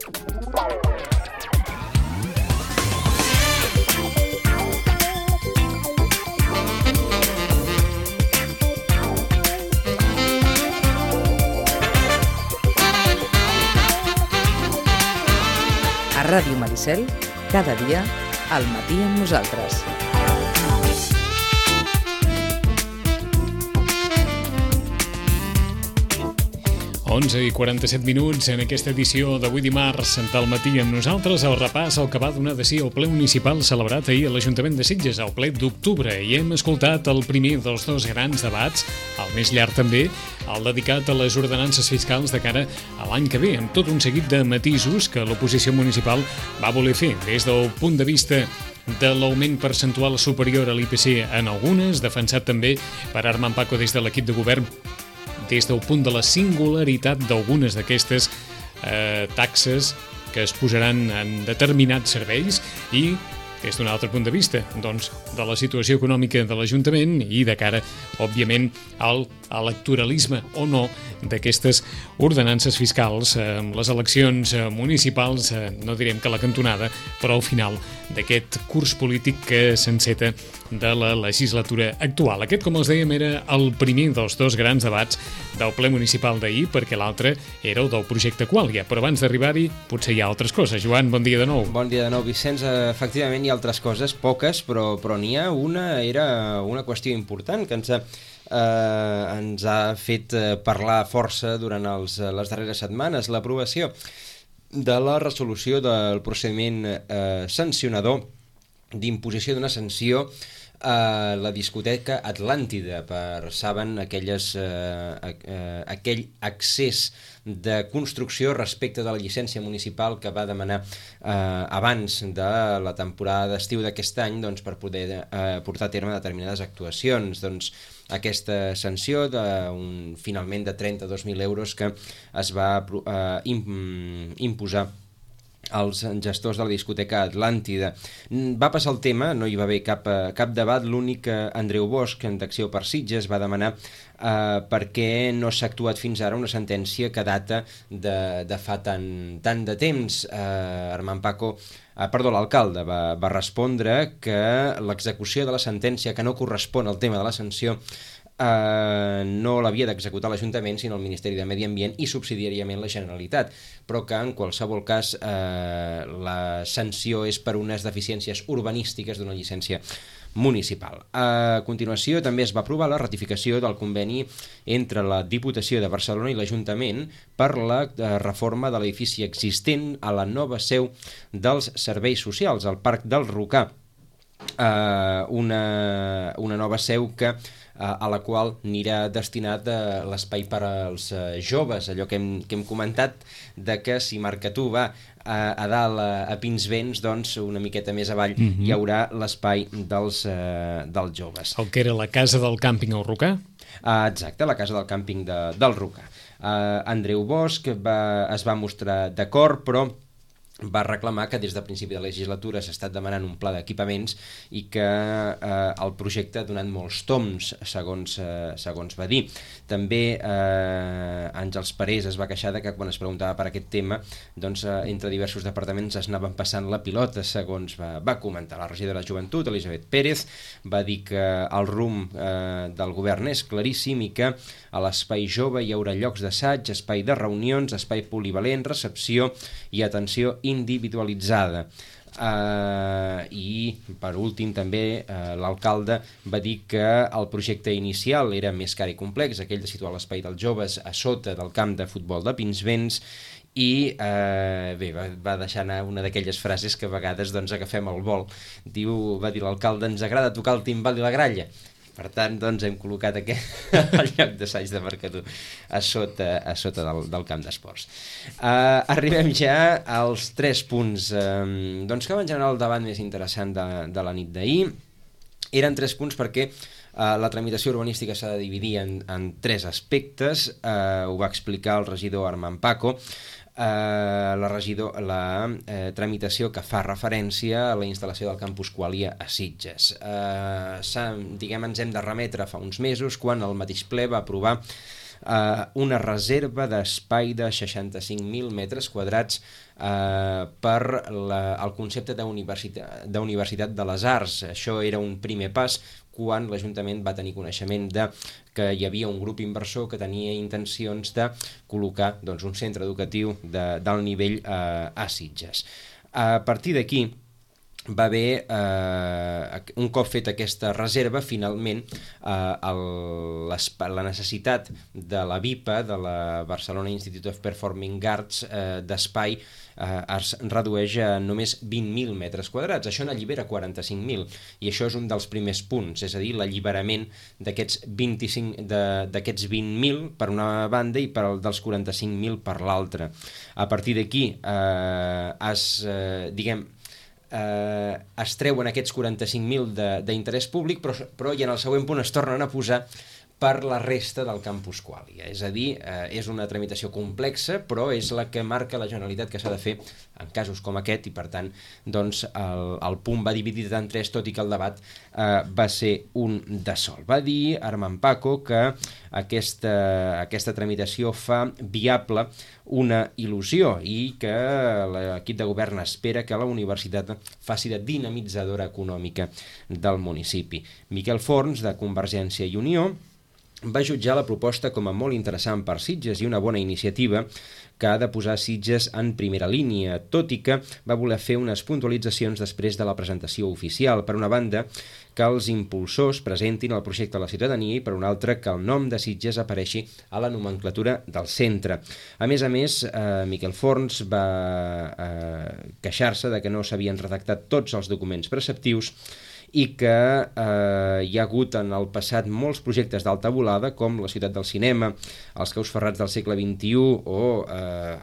A Ràdio Maricel, cada dia, al matí amb nosaltres. Onze i 47 minuts en aquesta edició d'avui dimarts del matí amb nosaltres, el repàs al que va donar de si el ple municipal celebrat ahir a l'Ajuntament de Sitges, el ple d'octubre, i hem escoltat el primer dels dos grans debats, el més llarg també, el dedicat a les ordenances fiscals de cara a l'any que ve, amb tot un seguit de matisos que l'oposició municipal va voler fer des del punt de vista de l'augment percentual superior a l'IPC en algunes, defensat també per Armand Paco des de l'equip de govern, des del punt de la singularitat d'algunes d'aquestes taxes que es posaran en determinats serveis i des d'un altre punt de vista, doncs, de la situació econòmica de l'Ajuntament i de cara, òbviament, al electoralisme o no d'aquestes ordenances fiscals amb les eleccions municipals, no direm que a la cantonada, però al final d'aquest curs polític que s'enceta de la legislatura actual. Aquest, com els dèiem, era el primer dels dos grans debats del ple municipal d'ahir, perquè l'altre era el del projecte Qualia. Però abans d'arribar-hi, potser hi ha altres coses. Joan, bon dia de nou. Bon dia de nou, Vicenç. Efectivament, hi ha altres coses, poques, però n'hi ha una, era una qüestió important que ens ha fet parlar força durant les darreres setmanes, l'aprovació de la resolució del procediment sancionador d'imposició d'una sanció a la discoteca Atlàntida saben, aquell accés de construcció respecte de la llicència municipal que va demanar abans de la temporada d'estiu d'aquest any, doncs, per poder portar a terme determinades actuacions. Doncs aquesta sanció finalment de 32.000 euros que es va imposar als gestors de la discoteca Atlàntida. Va passar el tema, no hi va haver cap debat, l'únic que Andreu Bosch, d'Acció per Sitges, va demanar per què no s'ha actuat fins ara una sentència que data de fa tant de temps. Armand Paco, l'alcalde, va respondre que l'execució de la sentència que no correspon al tema de la sanció no l'havia d'executar l'Ajuntament, sinó el Ministeri de Medi Ambient i subsidiàriament la Generalitat, però que en qualsevol cas la sanció és per unes deficiències urbanístiques d'una llicència municipal. A continuació també es va aprovar la ratificació del conveni entre la Diputació de Barcelona i l'Ajuntament per la reforma de l'edifici existent a la nova seu dels serveis socials, al Parc del Rocà, una nova seu a la qual anirà destinat l'espai per als joves, allò que hem comentat, de que si Marcatú va a dalt a Pinsbens, doncs una miqueta més avall hi haurà l'espai dels joves. El que era la casa del càmping al Rocà? Exacte, la casa del càmping del Rocà. Andreu Bosch es va mostrar d'acord, però va reclamar que des del principi de la legislatura s'ha estat demanant un pla d'equipaments i que el projecte ha donat molts toms, segons va dir. També Àngels Parés es va queixar que quan es preguntava per aquest tema, doncs entre diversos departaments es anaven passant la pilota, segons va comentar. La regidora de Joventut, Elisabet Pérez, va dir que el rumb del govern és claríssim i que a l'espai jove hi haurà llocs d'assaig, espai de reunions, espai polivalent, recepció i atenció individualitzada. I per últim també l'alcalde va dir que el projecte inicial era més car i complex, aquell de situar l'espai dels joves a sota del camp de futbol de Pinsbens, i va deixar anar una d'aquelles frases que a vegades agafem el vol. Va dir l'alcalde: ens agrada tocar el timbal i la gralla. Per tant, doncs, hem col·locat el lloc d'assaig de Marcatú a sota del camp d'esports. Arribem ja als 3 punts que van generar el debat més interessant de la nit d'ahir. Eren 3 punts perquè la tramitació urbanística s'ha de dividir en 3 aspectes. Ho va explicar el regidor Armand Paco. La tramitació que fa referència a la instal·lació del campus Qualia a Sitges. Ens hem de remetre fa uns mesos quan el mateix ple va aprovar una reserva d'espai de 65.000 metres quadrats per el concepte d'Universitat de les Arts. Això era un primer pas quan l'Ajuntament va tenir coneixement que hi havia un grup inversor que tenia intencions de col·locar un centre educatiu d'alt nivell a Sitges. A partir d'aquí va haver, un cop fet aquesta reserva, finalment la necessitat de la BIPA, de la Barcelona Institute of Performing Arts, d'espai es redueix a només 20.000 metres quadrats. Això n'allibera 45.000, i això és un dels primers punts, és a dir, l'alliberament d'aquests 20.000 per una banda i dels 45.000 per l'altra. A partir d'aquí es treuen aquests 45.000 d'interès públic, però i en el següent punt es tornen a posar per la resta del campus Qualia. És a dir, és una tramitació complexa, però és la que marca la Generalitat que s'ha de fer en casos com aquest, i per tant el punt va dividit en tres, tot i que el debat va ser un de sol. Va dir Armand Paco que aquesta tramitació fa viable una il·lusió i que l'equip de govern espera que la universitat faci de dinamitzadora econòmica del municipi. Miquel Forns, de Convergència i Unió, va jutjar la proposta com a molt interessant per Sitges i una bona iniciativa que ha de posar Sitges en primera línia, tot i que va voler fer unes puntualitzacions després de la presentació oficial. Per una banda, que els impulsors presentin el projecte a la ciutadania, i per una altra, que el nom de Sitges apareixi a la nomenclatura del centre. A més, Miquel Forns va queixar-se de que no s'havien redactat tots els documents preceptius i que hi ha hagut en el passat molts projectes d'alta volada, com la Ciutat del Cinema, els Caus Ferrats del segle XXI o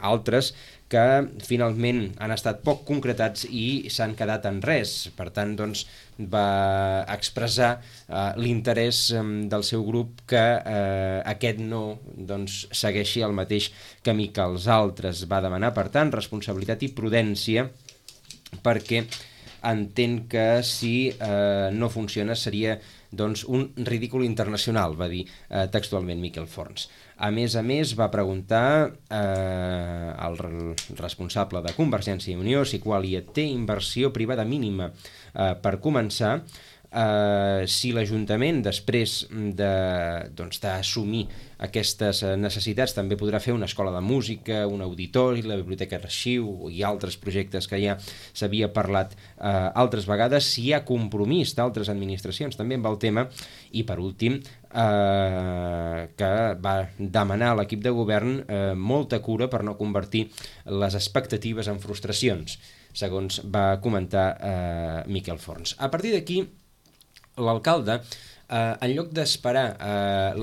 altres, que finalment han estat poc concretats i s'han quedat en res. Per tant, va expressar l'interès del seu grup que aquest no segueixi el mateix camí que els altres. Va demanar, per tant, responsabilitat i prudència, perquè entén que si no funciona seria un ridícul internacional, va dir textualment Miquel Forns. A més, va preguntar al responsable de Convergència i Unió si Qualia té inversió privada mínima per començar, si l'Ajuntament, després d'assumir aquestes necessitats, també podrà fer una escola de música, un auditori, la biblioteca d'arxiu i altres projectes que ja s'havia parlat altres vegades, si hi ha compromís d'altres administracions també amb el tema, i per últim que va demanar a l'equip de govern molta cura per no convertir les expectatives en frustracions, segons va comentar Miquel Forns. A partir d'aquí, l'alcalde, en lloc d'esperar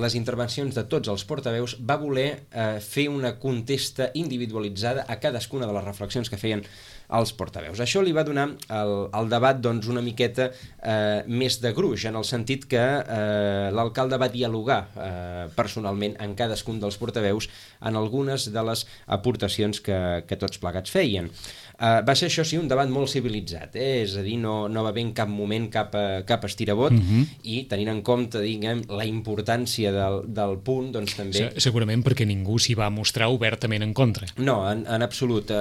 les intervencions de tots els portaveus, va voler fer una contesta individualitzada a cadascuna de les reflexions que feien els portaveus. Això li va donar al debat una miqueta més de gruix, en el sentit que l'alcalde va dialogar personalment amb cadascun dels portaveus en algunes de les aportacions que tots plegats feien. Va ser, això sí, un debat molt civilitzat, és a dir, no va haver en cap moment cap estirabot, i tenint en compte, la importància del punt, també... Segurament perquè ningú s'hi va mostrar obertament en contra. No, en absolut.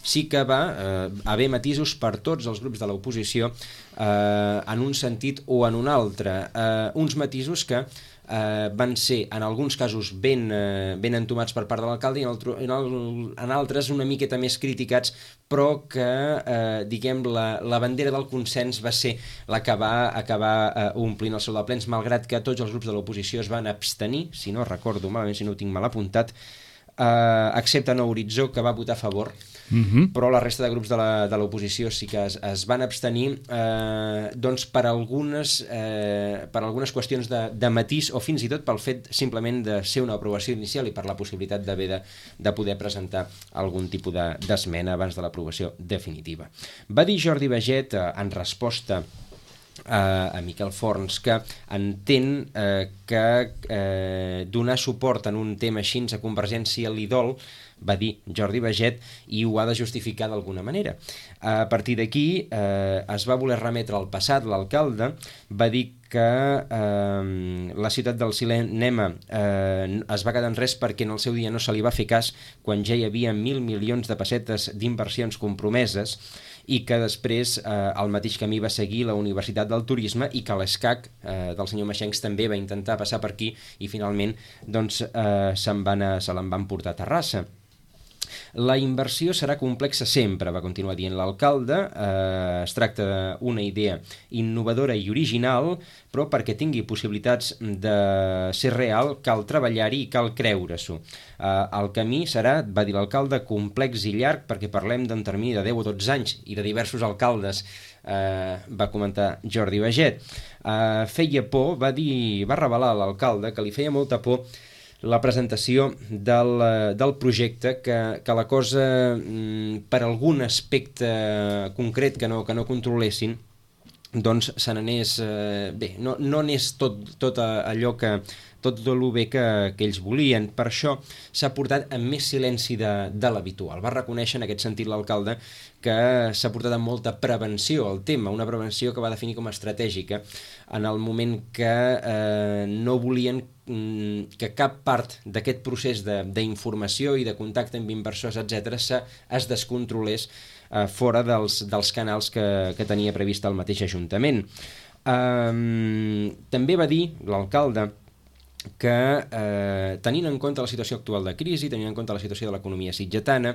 Sí que va haver matisos per tots els grups de l'oposició en un sentit o en un altre. Uns matisos que van ser en alguns casos ben entomats per part de l'alcalde i en altres una miqueta més criticats, però que la bandera del consens va ser la que va acabar omplint el seu de plens, malgrat que tots els grups de l'oposició es van abstenir, si no recordo malament, si no ho tinc mal apuntat, excepte Nou Horitzó, que va votar a favor, però la resta de grups de l'oposició sí que es van abstenir per algunes qüestions de matís, o fins i tot pel fet simplement de ser una aprovació inicial i per la possibilitat de poder presentar algun tipus d'esmena abans de l'aprovació definitiva. Va dir Jordi Baget, en resposta a Miquel Forns, que entén que donar suport en un tema així a Convergència li dol, va dir Jordi Baget, i ho ha de justificar d'alguna manera. A partir d'aquí es va voler remetre al passat. L'alcalde va dir que la ciutat del cinema es va quedar en res perquè en el seu dia no se li va fer cas quan ja hi havia 1.000 milions de pessetes d'inversions compromeses, i que després el mateix camí va seguir la Universitat del Turisme, i que l'ESCAC del senyor Maxencs també va intentar passar per aquí i finalment doncs, se l'en van portar a Terrassa. La inversió serà complexa sempre, va continuar dient l'alcalde. Es tracta d'una idea innovadora i original, però perquè tingui possibilitats de ser real cal treballar-hi i cal creure-s'ho. El camí serà, va dir l'alcalde, complex i llarg, perquè parlem d'un termini de 10 o 12 anys i de diversos alcaldes, va comentar Jordi Baget. Feia por, va revelar l'alcalde que li feia molta por la presentació del projecte, que la cosa, per algun aspecte concret que no controlessin, doncs se n'anés bé, no anés tot allò que tot el bé que ells volien. Per això s'ha portat amb més silenci de l'habitual. Va reconèixer en aquest sentit l'alcalde que s'ha portat amb molta prevenció al tema, una prevenció que va definir com a estratègica, en el moment que no volien que cap part d'aquest procés d'informació i de contacte amb inversors, etc., es descontrolés fora dels canals que tenia previst el mateix Ajuntament. També va dir l'alcalde que tenint en compte la situació actual de crisi, tenint en compte la situació de l'economia sitgetana,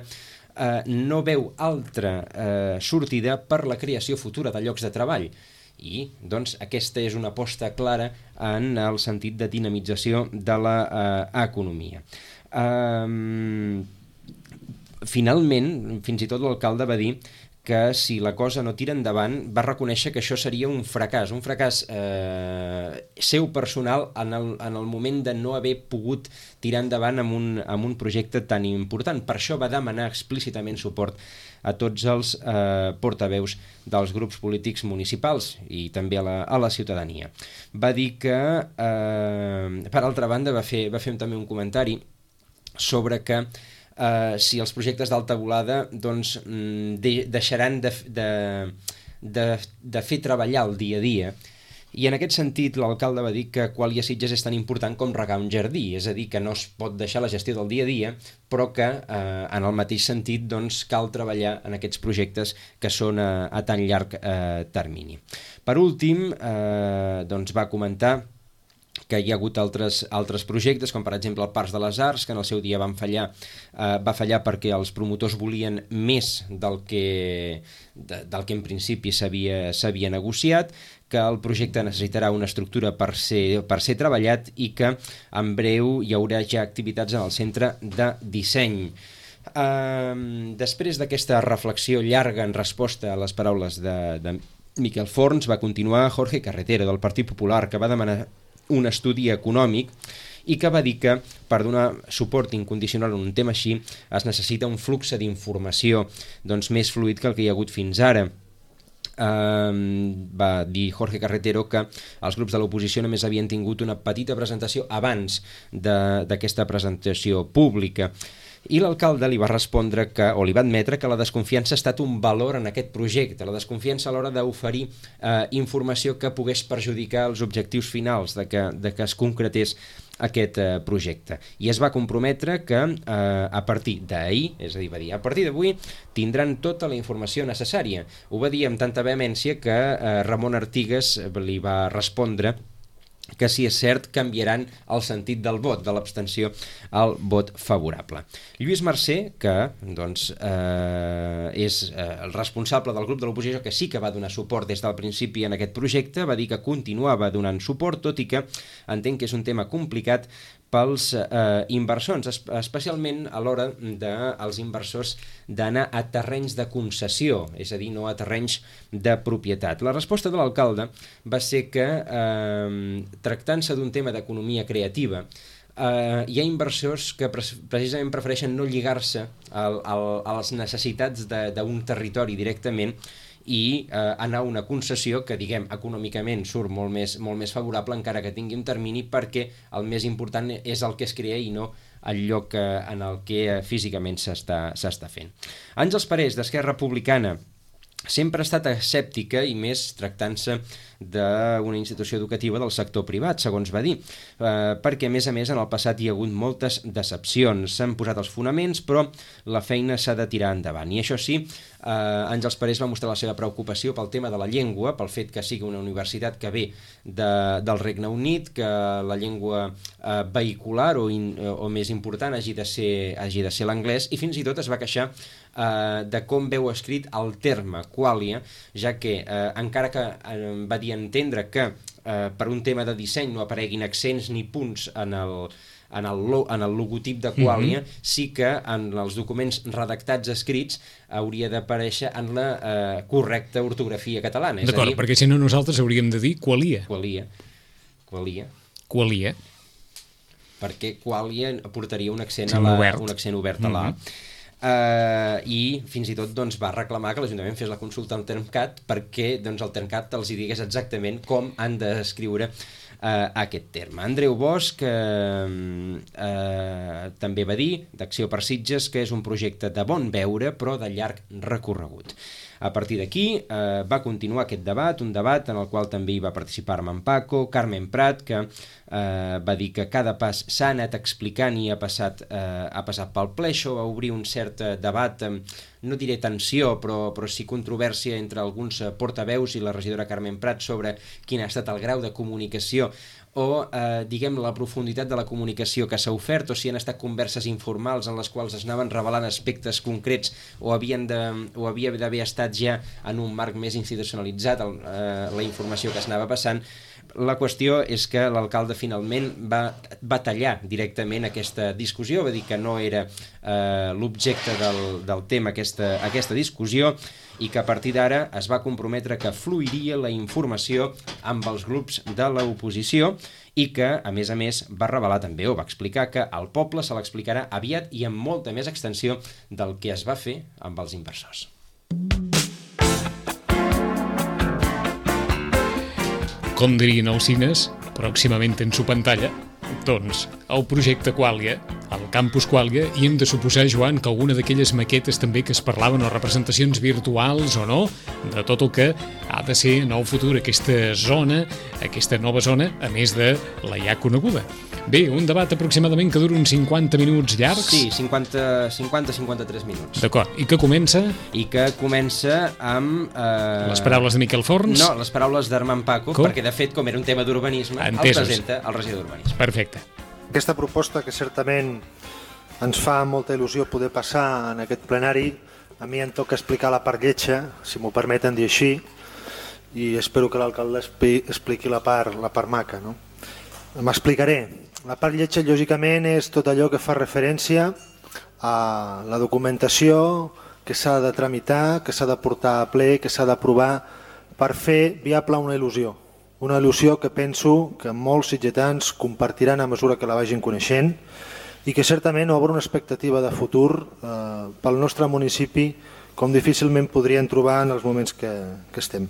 no veu altra sortida per la creació futura de llocs de treball. I doncs aquesta és una aposta clara en el sentit de dinamització de l'economia. Finalment, fins i tot l'alcalde va dir que si la cosa no tira endavant, va reconèixer que això seria un fracàs seu personal en el moment de no haver pogut tirar endavant amb un projecte tan important. Per això va demanar explícitament suport a tots els portaveus dels grups polítics municipals i també a la ciutadania. Va dir que, per altra banda, va fer també un comentari sobre que si els projectes d'alta volada doncs, deixaran de fer treballar el dia a dia. I en aquest sentit l'alcalde va dir que Qualia Sitges és tan important com regar un jardí, és a dir, que no es pot deixar la gestió del dia a dia, però que en el mateix sentit doncs, cal treballar en aquests projectes que són a tan llarg termini. Per últim, doncs va comentar que hi ha hagut altres projectes, com per exemple el Parcs de les Arts, que en el seu dia va fallar perquè els promotors volien més del que en principi s'havia negociat, que el projecte necessitarà una estructura per ser treballat i que en breu hi haurà ja activitats en el centre de disseny. Després d'aquesta reflexió llarga en resposta a les paraules de Miquel Forns, va continuar Jorge Carretero, del Partit Popular, que va demanar un estudi econòmic i que va dir que per donar suport incondicional a un tema així es necessita un flux d'informació doncs, més fluid que el que hi ha hagut fins ara. Va dir Jorge Carretero que els grups de l'oposició només havien tingut una petita presentació abans d'aquesta presentació pública. I l'alcalde li va respondre o li va admetre que la desconfiança ha estat un valor en aquest projecte, la desconfiança a l'hora d'oferir informació que pogués perjudicar els objectius finals de que es concretés aquest projecte. I es va comprometre que a partir d'ahir, és a dir, va dir, a partir d'avui tindran tota la informació necessària. Ho va dir amb tanta vehemència que Ramon Artigas li va respondre que si és cert canviaran el sentit del vot, de l'abstenció al vot favorable. Lluís Mercè, que doncs, és el responsable del grup de l'oposició, que sí que va donar suport des del principi en aquest projecte, va dir que continuava donant suport, tot i que entenc que és un tema complicat pels inversors, especialment a l'hora dels inversors d'anar a terrenys de concessió, és a dir, no a terrenys de propietat. La resposta de l'alcalde va ser que, tractant-se d'un tema d'economia creativa, hi ha inversors que precisament prefereixen no lligar-se a les necessitats d'un territori directament i anar a una concessió que, diguem, econòmicament surt molt més favorable, encara que tingui un termini, perquè el més important és el que es crea i no el lloc en el que físicament s'està fent. Àngels Parés, d'Esquerra Republicana, sempre ha estat escèptica i més tractant-se d'una institució educativa del sector privat, segons va dir, perquè a més en el passat hi ha hagut moltes decepcions, s'han posat els fonaments però la feina s'ha de tirar endavant, i això sí, Àngels Parés va mostrar la seva preocupació pel tema de la llengua, pel fet que sigui una universitat que ve del Regne Unit, que la llengua vehicular o més important hagi de ser l'anglès, i fins i tot es va queixar de com veu escrit el terme quàlia, ja que encara que va dir entendre que per un tema de disseny no apareguin accents ni punts en el logotip de quàlia, sí que en els documents redactats escrits hauria d'aparèixer en la correcta ortografia catalana. D'acord, perquè si no nosaltres hauríem de dir qualia. Qualia. Perquè quàlia portaria un accent obert a la i fins i tot va reclamar que l'Ajuntament fes la consulta al Termcat perquè el Termcat els digués exactament com han d'escriure aquest terme. Andreu Bosch també va dir d'Acció per Sitges que és un projecte de bon veure però de llarg recorregut. A partir d'aquí va continuar aquest debat, un debat en el qual també hi va participar Armand Paco, Carmen Prat, que va dir que cada pas s'ha anat explicant i ha passat pel ple. Això va obrir un cert debat, no diré tensió, però sí controvèrsia entre alguns portaveus i la regidora Carmen Prat sobre quin ha estat el grau de comunicació o, diguem, la profunditat de la comunicació que s'ha ofert, o si han estat converses informals en les quals es anaven revelant aspectes concrets o havia d'haver estat ja en un marc més institucionalitzat la informació que s'anava passant. La qüestió és que l'alcalde finalment va tallar directament aquesta discussió, va dir que no era l'objecte del tema aquesta discussió i que a partir d'ara es va comprometre que fluiria la informació amb els grups de l'oposició i que, a més, va revelar també o va explicar que al poble se l'explicarà aviat i amb molta més extensió del que es va fer amb els inversors. Com dirien els cines, pròximament en su pantalla, doncs, el projecte Quàlia, el campus Quàlia, i hem de suposar, Joan, que alguna d'aquelles maquetes també que es parlaven o representacions virtuals o no, de tot el que ha de ser en el futur aquesta nova zona, a més de la ja coneguda. Bé, un debat aproximadament que dura uns 50 minuts llargs. Sí, 50-53 minuts. D'acord, i que comença? I que comença amb... Les paraules de Miquel Forns? No, les paraules d'Armand Paco, perquè de fet, com era un tema d'urbanisme, el presenta el regidor d'urbanisme. Perfecte. Aquesta proposta que certament ens fa molta il·lusió poder passar en aquest plenari, a mi em toca explicar la part lletja, si m'ho permeten dir així, i espero que l'alcalde expliqui la part maca, no? M'explicaré. La part lletja, lògicament, és tot allò que fa referència a la documentació que s'ha de tramitar, que s'ha de portar a ple, que s'ha d'aprovar per fer viable una il·lusió. Una il·lusió que penso que molts sitgetans compartiran a mesura que la vagin coneixent i que certament obre una expectativa de futur pel nostre municipi com difícilment podrien trobar en els moments que estem.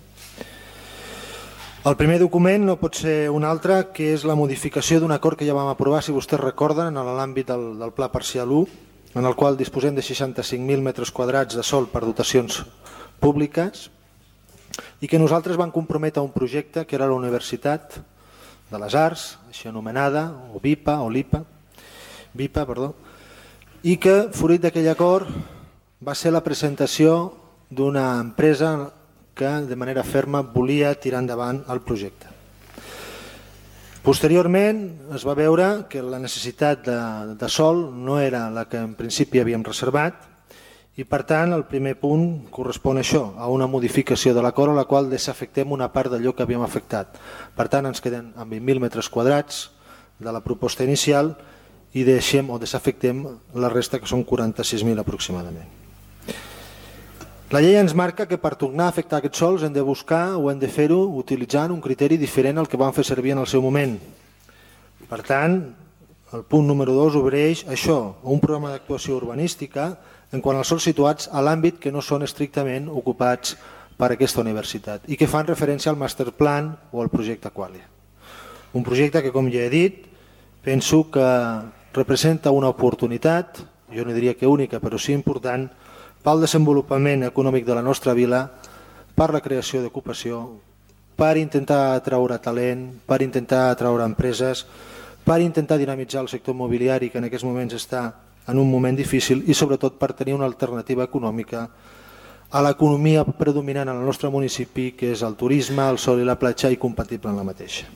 El primer document no pot ser un altre, que és la modificació d'un acord que ja vam aprovar, si vostès recorden, en l'àmbit del Pla Parcial 1, en el qual disposem de 65.000 metres quadrats de sòl per dotacions públiques i que nosaltres vam comprometre a un projecte que era la Universitat de les Arts, així anomenada, o VIPA, i que, fruit d'aquell acord, va ser la presentació d'una empresa que de manera ferma volia tirar endavant el projecte. Posteriorment es va veure que la necessitat de sòl no era la que en principi havíem reservat i per tant el primer punt correspon a això, a una modificació de l'acord a la qual desafectem una part d'allò que havíem afectat. Per tant ens queden amb 20.000 metres quadrats de la proposta inicial i deixem o desafectem la resta, que són 46.000 aproximadament. La llei ens marca que per tornar a afectar aquests sòls hem de buscar o hem de fer-ho utilitzant un criteri diferent al que vam fer servir en el seu moment. Per tant, el punt número 2 obreix això, un programa d'actuació urbanística en quant als sòls situats a l'àmbit que no són estrictament ocupats per aquesta universitat i que fan referència al master plan o al projecte Quàlia. Un projecte que, com ja he dit, penso que representa una oportunitat, jo no diria que única, però sí important, pel desenvolupament econòmic de la nostra vila, per la creació d'ocupació, per intentar atraure talent, per intentar atraure empreses, per intentar dinamitzar el sector immobiliari que en aquests moments està en un moment difícil i sobretot per tenir una alternativa econòmica a l'economia predominant en el nostre municipi, que és el turisme, el sol i la platja, i compatible en la mateixa.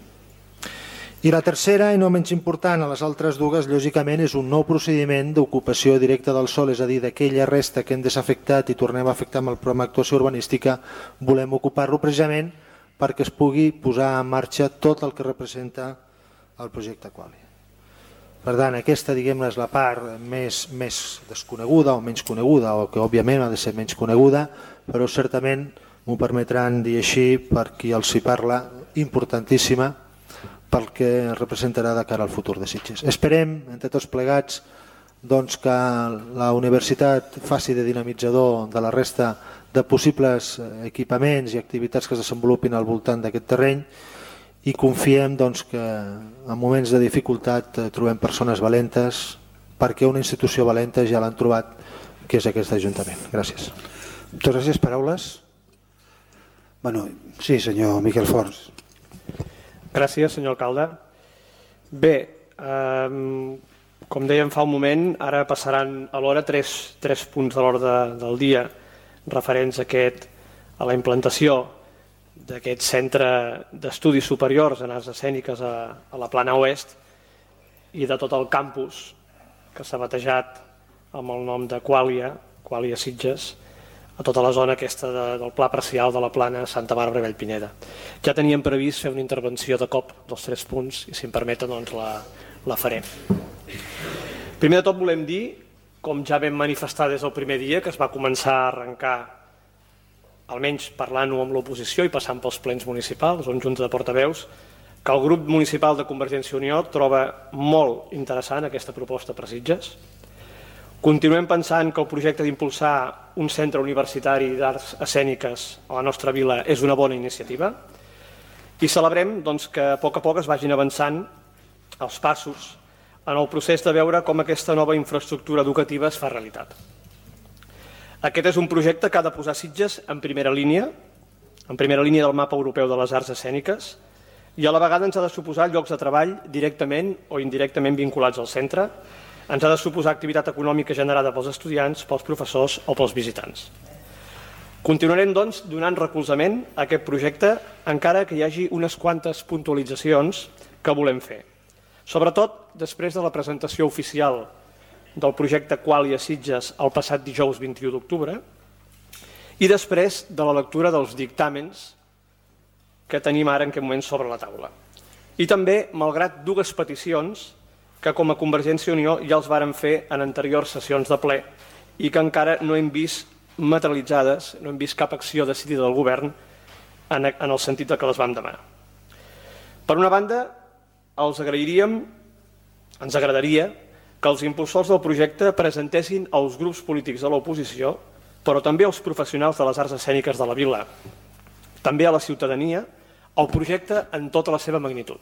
I la tercera, i no menys important a les altres dues, lògicament és un nou procediment d'ocupació directa del sòl, és a dir, d'aquella resta que hem desafectat i tornem a afectar amb el programa d'actuació urbanística, volem ocupar-lo precisament perquè es pugui posar en marxa tot el que representa el projecte Qualy. Per tant, aquesta, diguem-ne, és la part més desconeguda o menys coneguda, o que òbviament ha de ser menys coneguda, però certament m'ho permetran dir així, per qui els hi parla, importantíssima, pel que representarà de cara al futur de Sitges. Esperem, entre tots plegats, que la universitat faci de dinamitzador de la resta de possibles equipaments i activitats que es desenvolupin al voltant d'aquest terreny, i confiem que en moments de dificultat trobem persones valentes, perquè una institució valenta ja l'han trobat, que és aquest Ajuntament. Gràcies. Moltes gràcies. Paraules? Sí, senyor Miquel Forns. Gràcies, senyor alcalde. Bé, com dèiem fa un moment, ara passaran a l'hora tres punts de l'ordre del dia referents a la implantació d'aquest centre d'estudis superiors en arts escèniques a la Plana Oest i de tot el campus que s'ha batejat amb el nom de Qualy a Sitges, a tota la zona aquesta del Pla Parcial de la Plana Santa Bàrbara i Vallpineda. Ja teníem previst fer una intervenció de cop dels 3 punts i, si em permeten, la farem. Primer de tot volem dir, com ja vam manifestar des del primer dia que es va començar a arrencar, almenys parlant-ho amb l'oposició i passant pels plens municipals o en junta de portaveus, que el grup municipal de Convergència i Unió troba molt interessant aquesta proposta per Sitges. Continuem pensant que el projecte d'impulsar un centre universitari d'arts escèniques a la nostra vila és una bona iniciativa i celebrem que a poc es vagin avançant els passos en el procés de veure com aquesta nova infraestructura educativa es fa realitat. Aquest és un projecte que ha de posar Sitges en primera línia del mapa europeu de les arts escèniques, i a la vegada ens ha de suposar llocs de treball directament o indirectament vinculats al centre, ens ha de suposar activitat econòmica generada pels estudiants, pels professors o pels visitants. Continuarem, donant recolzament a aquest projecte, encara que hi hagi unes quantes puntualitzacions que volem fer. Sobretot després de la presentació oficial del projecte Qualy a Sitges el passat dijous 21 d'octubre i després de la lectura dels dictàmens que tenim ara en aquest moment sobre la taula. I també, malgrat dues peticions que com a Convergència i Unió ja els vàrem fer en anteriors sessions de ple i que encara no hem vist materialitzades, no hem vist cap acció decidida del govern en el sentit que les vam demanar. Per una banda, ens agradaria que els impulsors del projecte presentessin als grups polítics de l'oposició, però també als professionals de les arts escèniques de la vila, també a la ciutadania, el projecte en tota la seva magnitud.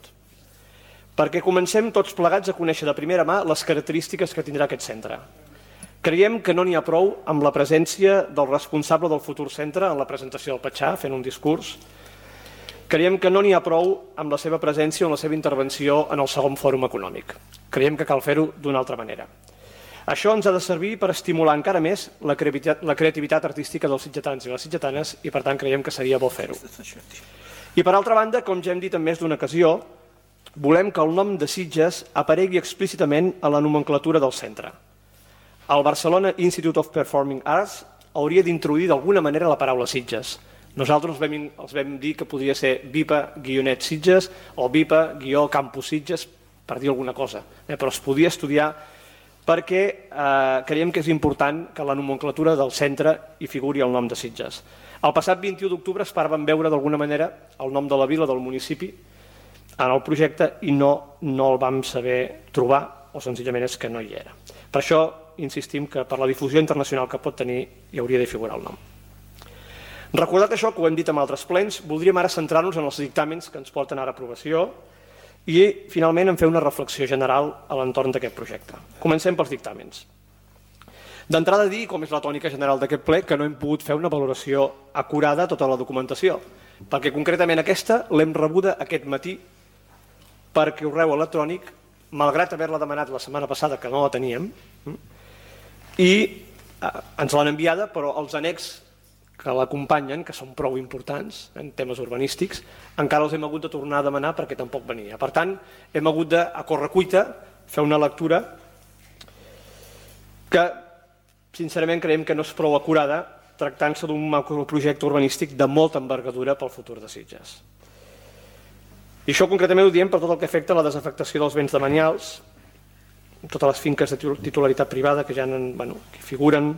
Perquè comencem tots plegats a conèixer de primera mà les característiques que tindrà aquest centre. Creiem que no n'hi ha prou amb la presència del responsable del futur centre en la presentació del Patxà, fent un discurs. Creiem que no n'hi ha prou amb la seva presència o la seva intervenció en el segon fòrum econòmic. Creiem que cal fer-ho d'una altra manera. Això ens ha de servir per estimular encara més la creativitat artística dels sitgetans i les sitgetanes i, per tant, creiem que seria bo fer-ho. I, per altra banda, com ja hem dit en més d'una ocasió, volem que el nom de Sitges aparegui explícitament a la nomenclatura del centre. El Barcelona Institute of Performing Arts hauria d'introduir d'alguna manera la paraula Sitges. Nosaltres els vam dir que podria ser VIPA-Sitges o VIPA-Campus Sitges, per dir alguna cosa, però es podia estudiar perquè creiem que és important que la nomenclatura del centre hi figuri el nom de Sitges. El passat 21 d'octubre esperàvem veure d'alguna manera el nom de la vila, del municipi, en el projecte i no el vam saber trobar o senzillament és que no hi era. Per això insistim que per la difusió internacional que pot tenir hi hauria de figurar el nom. Recordat això, que ho hem dit en altres plens, voldríem ara centrar-nos en els dictàmens que ens porten ara a aprovació i finalment en fer una reflexió general a l'entorn d'aquest projecte. Comencem pels dictàmens. D'entrada dir, com és la tònica general d'aquest ple, que no hem pogut fer una valoració acurada de tota la documentació, perquè concretament aquesta l'hem rebuda aquest matí per correu electrònic, malgrat haver-la demanat la setmana passada, que no la teníem, i ens l'han enviada, però els annex que l'acompanyen, que són prou importants en temes urbanístics, encara els hem hagut de tornar a demanar perquè tampoc venia. Per tant, hem hagut de, a correcuita, fer una lectura que, sincerament, creiem que no és prou acurada, tractant-se d'un macroprojecte urbanístic de molta envergadura pel futur de Sitges. I això concretament ho diem per tot el que afecta a la desafectació dels béns demanials, totes les finques de titularitat privada que ja que figuren.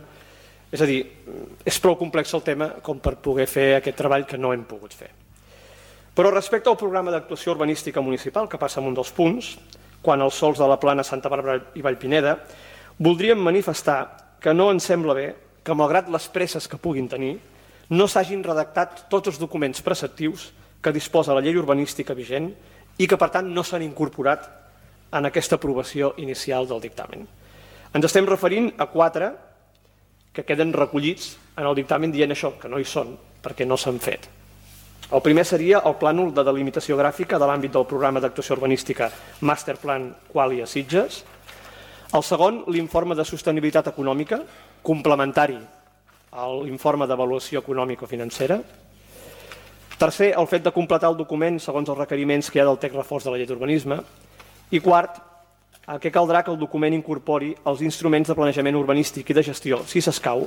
És a dir, és prou complex el tema com per poder fer aquest treball que no hem pogut fer. Però respecte al programa d'actuació urbanística municipal, que passa en un dels punts, quan els sols de la Plana, Santa Bàrbara i Vallpineda, voldríem manifestar que no ens sembla bé que, malgrat les presses que puguin tenir, no s'hagin redactat tots els documents preceptius que disposa la llei urbanística vigent i que, per tant, no s'han incorporat en aquesta aprovació inicial del dictamen. Ens estem referint a 4 que queden recollits en el dictamen dient això, que no hi són, perquè no s'han fet. El primer seria el plànol de delimitació gràfica de l'àmbit del programa d'actuació urbanística Masterplan Qualia Sitges. El segon, l'informe de sostenibilitat econòmica, complementari a l'informe d'avaluació econòmico-financera. Tercer, el fet de completar el document segons els requeriments que hi ha del text reforç de la llei d'urbanisme. I quart, que caldrà que el document incorpori els instruments de planejament urbanístic i de gestió, si s'escau,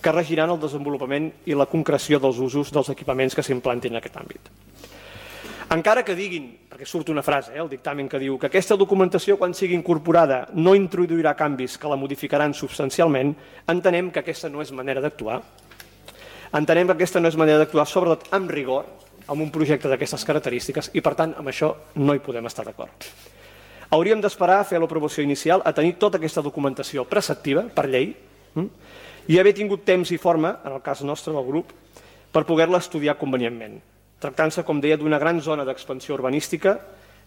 que regiran el desenvolupament i la concreció dels usos dels equipaments que s'implantin en aquest àmbit. Encara que diguin, perquè surt una frase, el dictamen que diu que aquesta documentació, quan sigui incorporada, no introduirà canvis que la modificaran substancialment, entenem que aquesta no és manera d'actuar. Entenem que aquesta no és manera d'actuar, sobretot amb rigor, amb un projecte d'aquestes característiques, i per tant, amb això no hi podem estar d'acord. Hauríem d'esperar a fer l'aprovació inicial, a tenir tota aquesta documentació preceptiva, per llei, i haver tingut temps i forma, en el cas nostre del grup, per poder-la estudiar convenientment, tractant-se, com deia, d'una gran zona d'expansió urbanística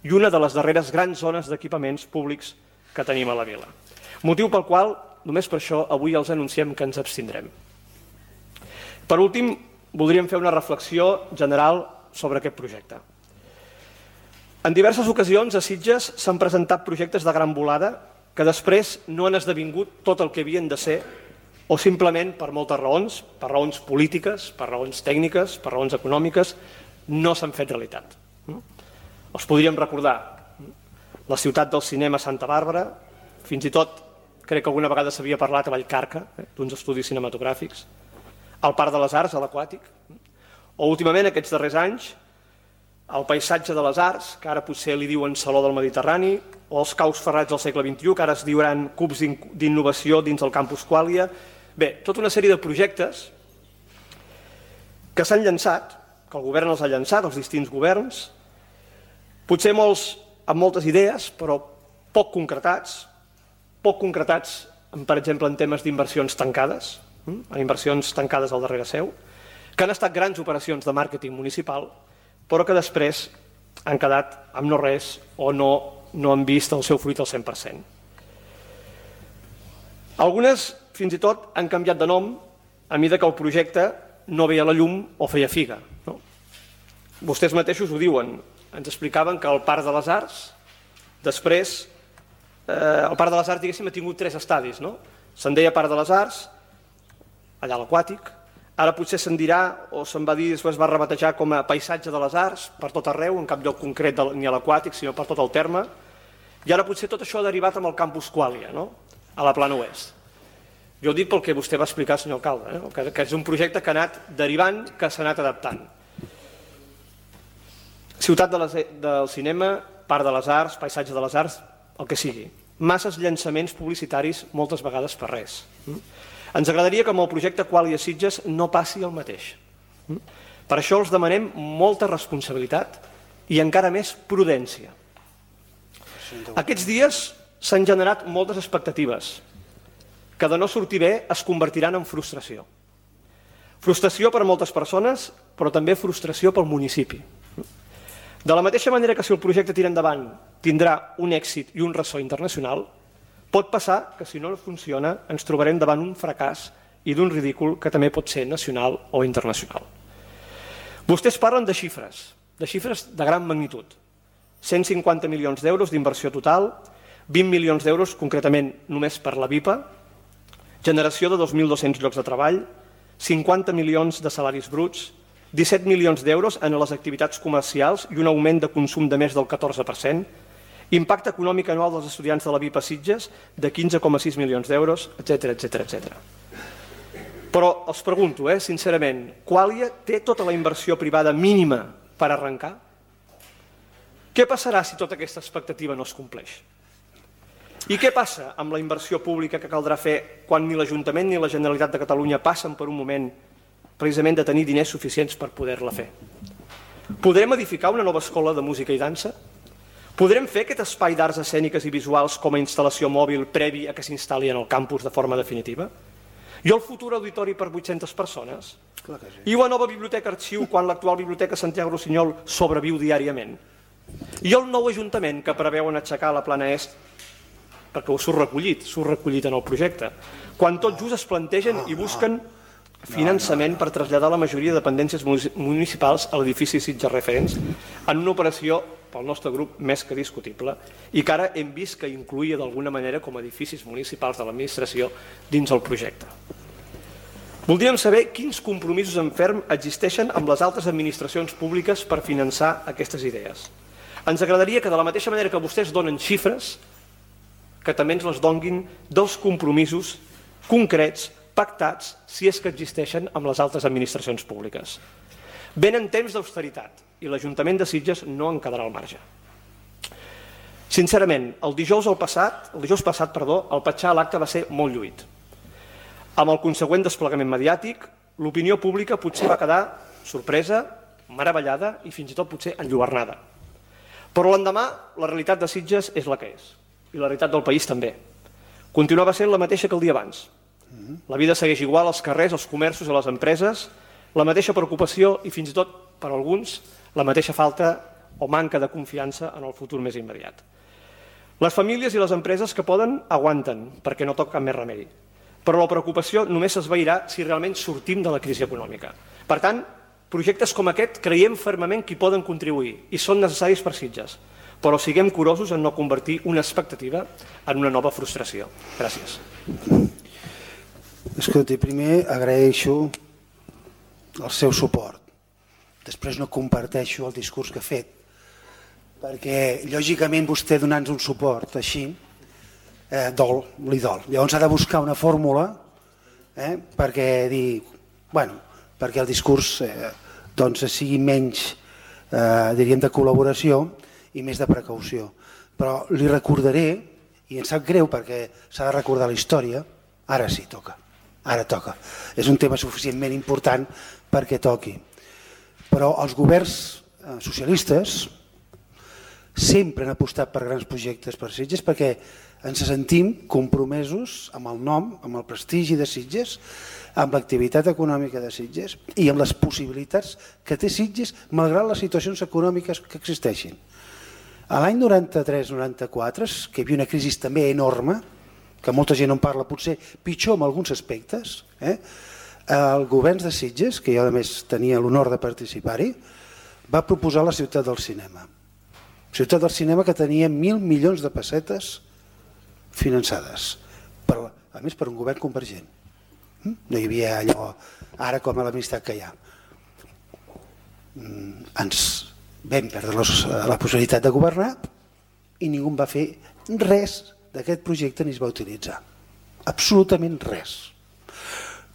i una de les darreres grans zones d'equipaments públics que tenim a la vila. Motiu pel qual, només per això, avui els anunciem que ens abstindrem. Per últim, voldríem fer una reflexió general sobre aquest projecte. En diverses ocasions a Sitges s'han presentat projectes de gran volada que després no han esdevingut tot el que havien de ser o simplement per moltes raons, per raons polítiques, per raons tècniques, per raons econòmiques, no s'han fet realitat. Els podríem recordar la ciutat del cinema Santa Bàrbara, fins i tot crec que alguna vegada s'havia parlat a Vallcarca d'uns estudis cinematogràfics, el Parc de les Arts, a l'Aquàtic, o últimament aquests darrers anys el paisatge de les arts, que ara potser li diuen Saló del Mediterrani, o els caus ferrats del segle XXI, que ara es diuran cubs d'innovació dins el campus Qualia. Bé, tota una sèrie de projectes que s'han llançat, que el govern els ha llançat, els distints governs, potser molts amb moltes idees, però poc concretats, per exemple, en temes d'inversions tancades, en inversions tancades al darrere seu, que han estat grans operacions de màrqueting municipal, però que després han quedat amb no res o no han vist el seu fruit al 100%. Algunes, fins i tot, han canviat de nom a mesura que el projecte no veia la llum o feia figa. Vostès mateixos ho diuen. Ens explicaven que el Parc de les Arts, després, el Parc de les Arts, diguéssim, ha tingut 3 estadis. Se'n deia Parc de les Arts, allà a l'Aquàtic, ara potser se'n dirà, o se'n va dir, després va rebatejar com a paisatge de les arts, per tot arreu, en cap lloc concret ni a l'Aquàtic, sinó per tot el terme, i ara potser tot això ha derivat amb el campus Qualia, a la Plana Oest. Jo ho dic pel que vostè va explicar, senyor alcalde, que és un projecte que ha anat derivant, que s'ha anat adaptant. Ciutat del cinema, Parc de les Arts, paisatge de les arts, el que sigui. Masses llançaments publicitaris, moltes vegades per res. Ens agradaria que amb el projecte Qualia Sitges no passi el mateix. Per això els demanem molta responsabilitat i encara més prudència. Aquests dies s'han generat moltes expectatives que de no sortir bé es convertiran en frustració. Frustració per a moltes persones, però també frustració pel municipi. De la mateixa manera que si el projecte tira endavant tindrà un èxit i un ressò internacional, pot passar que si no funciona ens trobarem davant un fracàs i d'un ridícul que també pot ser nacional o internacional. Vostès parlen de xifres de gran magnitud. 150 milions d'euros d'inversió total, 20 milions d'euros concretament només per la BIPA, generació de 2.200 llocs de treball, 50 milions de salaris bruts, 17 milions d'euros en les activitats comercials i un augment de consum de més del 14%, impacte econòmic anual dels estudiants de la BIPA Sitges de 15,6 milions d'euros, etc. Però els pregunto, sincerament, Qualia té tota la inversió privada mínima per arrencar? Què passarà si tota aquesta expectativa no es compleix? I què passa amb la inversió pública que caldrà fer quan ni l'Ajuntament ni la Generalitat de Catalunya passen per un moment precisament de tenir diners suficients per poder-la fer? Podrem edificar una nova escola de música i dansa? Podrem fer aquest espai d'arts escèniques i visuals com a instal·lació mòbil previ a que s'instal·li en el campus de forma definitiva? I el futur auditori per 800 persones? I la nova biblioteca arxiu quan l'actual biblioteca Santiago Rossinyol sobreviu diàriament? I el nou ajuntament que preveuen aixecar a la plana est, perquè surt recollit en el projecte, quan tot just es plantegen i busquen finançament per traslladar la majoria de dependències municipals a l'edifici Sitges Referents en una operació, pel nostre grup, més que discutible i que ara hem vist que incluïa d'alguna manera com a edificis municipals de l'administració dins el projecte. Voldríem saber quins compromisos en ferm existeixen amb les altres administracions públiques per finançar aquestes idees. Ens agradaria que de la mateixa manera que vostès donen xifres, que també ens les donguin dels compromisos concrets, pactats, si és que existeixen amb les altres administracions públiques. Venen temps d'austeritat i l'Ajuntament de Sitges no en quedarà al marge. Sincerament, el dijous passat, el petxar a l'acte va ser molt lluït. Amb el consegüent desplegament mediàtic, l'opinió pública potser va quedar sorpresa, meravellada i fins i tot potser enlluernada. Però l'endemà la realitat de Sitges és la que és i la realitat del país també. Continuava sent la mateixa que el dia abans. La vida segueix igual als carrers, als comerços i a les empreses, la mateixa preocupació i fins i tot, per alguns, la mateixa falta o manca de confiança en el futur més immediat. Les famílies i les empreses que poden aguanten perquè no toca cap més remei, però la preocupació només s'esvairà si realment sortim de la crisi econòmica. Per tant, projectes com aquest creiem fermament que hi poden contribuir i són necessaris per Sitges, però siguem curosos en no convertir una expectativa en una nova frustració. Gràcies. Escolti, primer agraeixo el seu suport. Després no comparteixo el discurs que ha fet, perquè lògicament vostè donant-nos un suport així, li dol. Llavors ha de buscar una fórmula perquè el discurs sigui menys, diríem, de col·laboració i més de precaució. Però li recordaré, i em sap greu perquè s'ha de recordar la història, ara sí toca. Ara toca. És un tema suficientment important perquè toqui. Però els governs socialistes sempre han apostat per grans projectes per Sitges perquè ens sentim compromesos amb el nom, amb el prestigi de Sitges, amb l'activitat econòmica de Sitges i amb les possibilitats que té Sitges malgrat les situacions econòmiques que existeixin. A l'any 93-94, que hi havia una crisi també enorme, que molta gent en parla, potser pitjor en alguns aspectes, el govern de Sitges, que jo a més tenia l'honor de participar-hi, va proposar la ciutat del cinema. Ciutat del cinema que tenia 1.000 milions de pessetes finançades, a més per un govern convergent. No hi havia allò ara com a l'amistat que hi ha. Ens vam perdre la possibilitat de governar i ningú va fer res d'aquest projecte ni es va utilitzar. Absolutament res.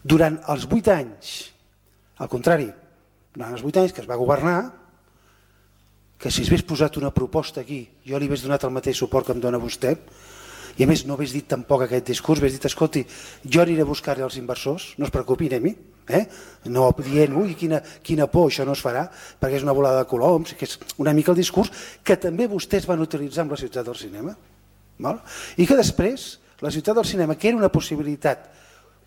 Durant els 8 anys, al contrari, durant els 8 anys que es va governar, que si es hagués posat una proposta aquí, jo li hagués donat el mateix suport que em dona vostè, i a més no hagués dit tampoc aquest discurs, hagués dit, escolti, jo aniré a buscar-hi els inversors, no es preocupin a mi, no dient, ui, quina por, això no es farà, perquè és una volada de coloms, que és una mica el discurs que també vostès van utilitzar amb la ciutat del cinema. I que després la ciutat del cinema, que era una possibilitat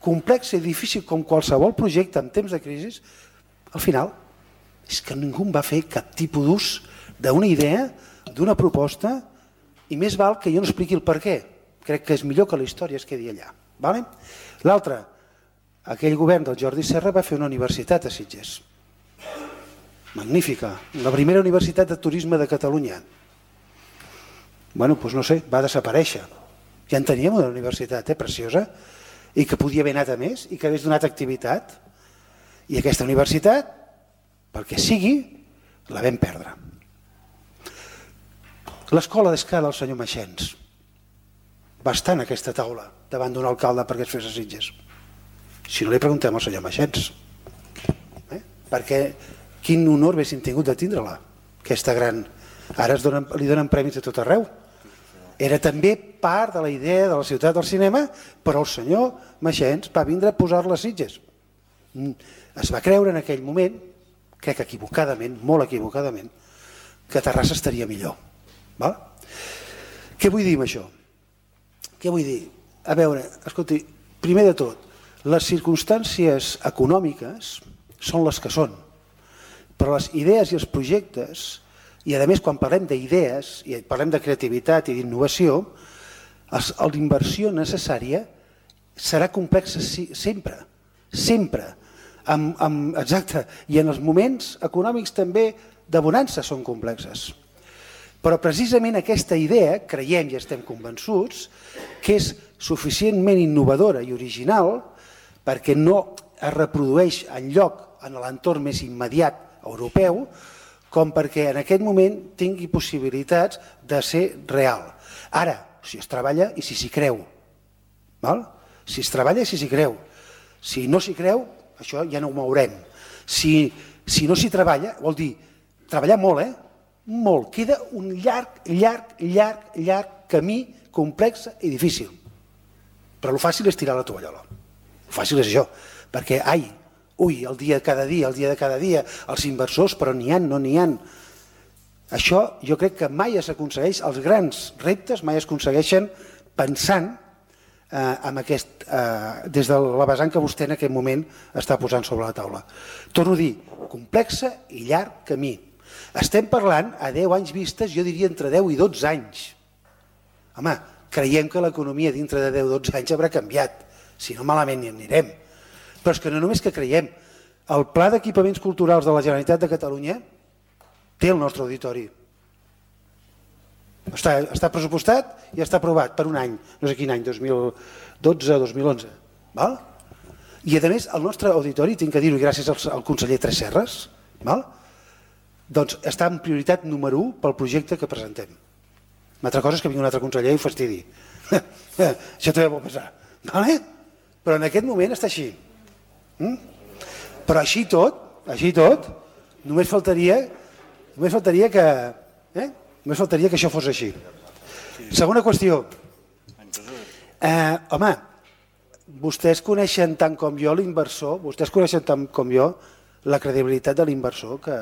complexa i difícil com qualsevol projecte en temps de crisi, al final és que ningú va fer cap tipus d'ús d'una idea, d'una proposta, i més val que jo no expliqui el per què. Crec que és millor que la història es quedi allà. L'altre, aquell govern del Jordi Serra va fer una universitat a Sitges. Magnífica, la primera universitat de turisme de Catalunya. Doncs no sé, va desaparèixer. Ja en teníem una universitat preciosa i que podia haver anat a més i que hagués donat activitat. I aquesta universitat, pel que sigui, la vam perdre. L'escola d'escala del senyor Maxens va estar en aquesta taula davant d'un alcalde perquè es fes a Sitges. Si no li preguntem al senyor Maxens, perquè quin honor haguéssim tingut de tindre-la, aquesta gran... Ara li donen premis a tot arreu. Era també part de la idea de la ciutat del cinema, però el senyor Maxens va vindre a posar-la a Sitges. Es va creure en aquell moment, crec equivocadament, molt equivocadament, que Terrassa estaria millor. Què vull dir amb això? Què vull dir? A veure, escolti, primer de tot, les circumstàncies econòmiques són les que són, però les idees i els projectes, i a més quan parlem d'idees i parlem de creativitat i d'innovació, l'inversió necessària serà complexa sempre, sempre. Exacte, i en els moments econòmics també de bonança són complexes. Però precisament aquesta idea, creiem i estem convençuts, que és suficientment innovadora i original perquè no es reprodueix enlloc en l'entorn més immediat europeu, com perquè en aquest moment tingui possibilitats de ser real. Ara, si es treballa i si s'hi creu. Si es treballa i si s'hi creu. Si no s'hi creu, això ja no ho mourem. Si no s'hi treballa, vol dir treballar molt, molt. Queda un llarg camí complex i difícil. Però el fàcil és tirar la tovallola. El fàcil és això, perquè, el dia de cada dia, els inversors, però n'hi ha, no n'hi ha. Això jo crec que mai s'aconsegueix, els grans reptes mai es aconsegueixen pensant des de la vessant que vostè en aquest moment està posant sobre la taula. Torno a dir, complexa i llarg camí. Estem parlant a 10 anys vistes, jo diria entre 10 i 12 anys. Home, creiem que l'economia dintre de 10-12 anys haurà canviat, si no malament hi anirem. Però és que no només que creiem, el Pla d'Equipaments Culturals de la Generalitat de Catalunya té el nostre auditori. Està pressupostat i està aprovat per un any, no sé quin any, 2012-2011. I a més el nostre auditori, tinc que dir-ho gràcies al conseller Tresserras, doncs està en prioritat número 1 pel projecte que presentem. Una altra cosa és que vingui un altre conseller i ho fastidi. Això també pot passar. Però en aquest moment està així. Però així tot, només faltaria que això fos així. Segona qüestió. Home, vostès coneixen tant com jo l'inversor, vostès coneixen tant com jo la credibilitat de l'inversor que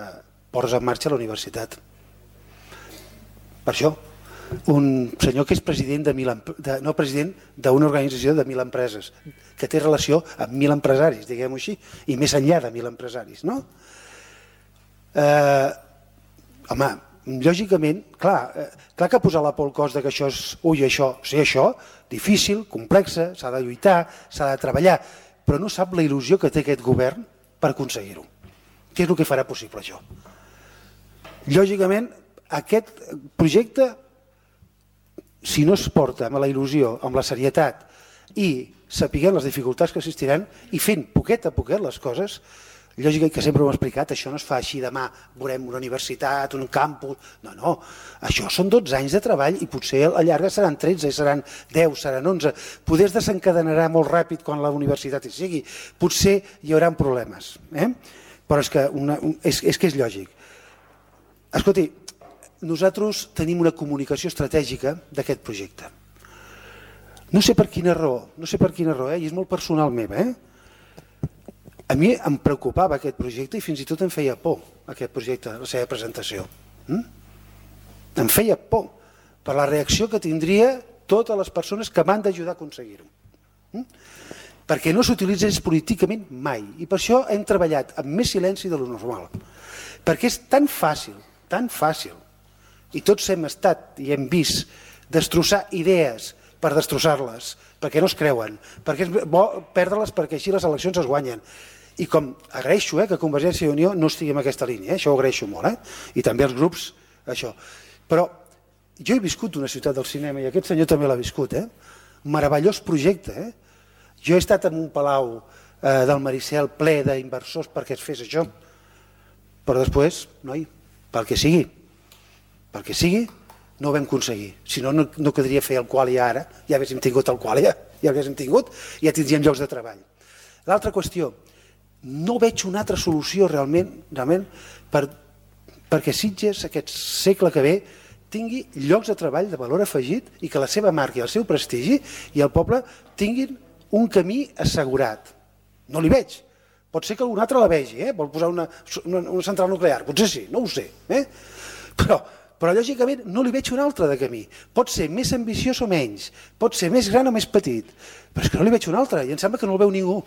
posa en marxa la universitat. Per això, un senyor que és president d'una organització de 1.000 empreses, que té relació amb 1.000 empresaris, diguem-ho així, i més enllà de 1.000 empresaris, no? Home, lògicament, clar que posar la por al cos que això és això, difícil, complexa, s'ha de lluitar, s'ha de treballar, però no sap la il·lusió que té aquest govern per aconseguir-ho. Què és el que farà possible això? Lògicament, aquest projecte, si no es porta amb la il·lusió, amb la serietat i sapiguent les dificultats que existiran i fent poquet a poquet les coses, lògicament que sempre ho hem explicat, això no es fa així demà, veurem una universitat, un campus, no, això són 12 anys de treball i potser a llarga seran 13, seran 10, seran 11, poder es desencadenarà molt ràpid quan la universitat hi sigui, potser hi haurà problemes, però és que és lògic. Escolti, nosaltres tenim una comunicació estratègica d'aquest projecte. No sé per quina raó, i és molt personal meva, a mi em preocupava aquest projecte i fins i tot em feia por aquest projecte, la seva presentació. Em feia por per la reacció que tindria totes les persones que m'han d'ajudar a aconseguir-ho. Perquè no s'utilitzés políticament mai i per això hem treballat amb més silenci de lo normal. Perquè és tan fàcil i tots hem estat i hem vist destrossar idees per destrossar-les, perquè no es creuen, perquè és bo perdre-les perquè així les eleccions es guanyen. I com agraeixo que Convergència i Unió no estigui en aquesta línia, això ho agraeixo molt, i també els grups, això. Però jo he viscut una ciutat del cinema i aquest senyor també l'ha viscut, meravellós projecte. Jo he estat en un palau del Maricel ple d'inversors perquè es fes això, però després, noi, pel que sigui, no ho vam aconseguir. Si no, no quedaria fer el Qualia ara, ja haguéssim tingut el Qualia, ja tindríem llocs de treball. L'altra qüestió, no veig una altra solució realment perquè Sitges, aquest segle que ve, tingui llocs de treball de valor afegit i que la seva marca i el seu prestigi i el poble tinguin un camí assegurat. No li veig. Pot ser que algun altre la vegi, vol posar una central nuclear, potser sí, no ho sé. Però lògicament no li veig un altre de camí. Pot ser més ambiciós o menys, pot ser més gran o més petit, però és que no li veig un altre i em sembla que no el veu ningú.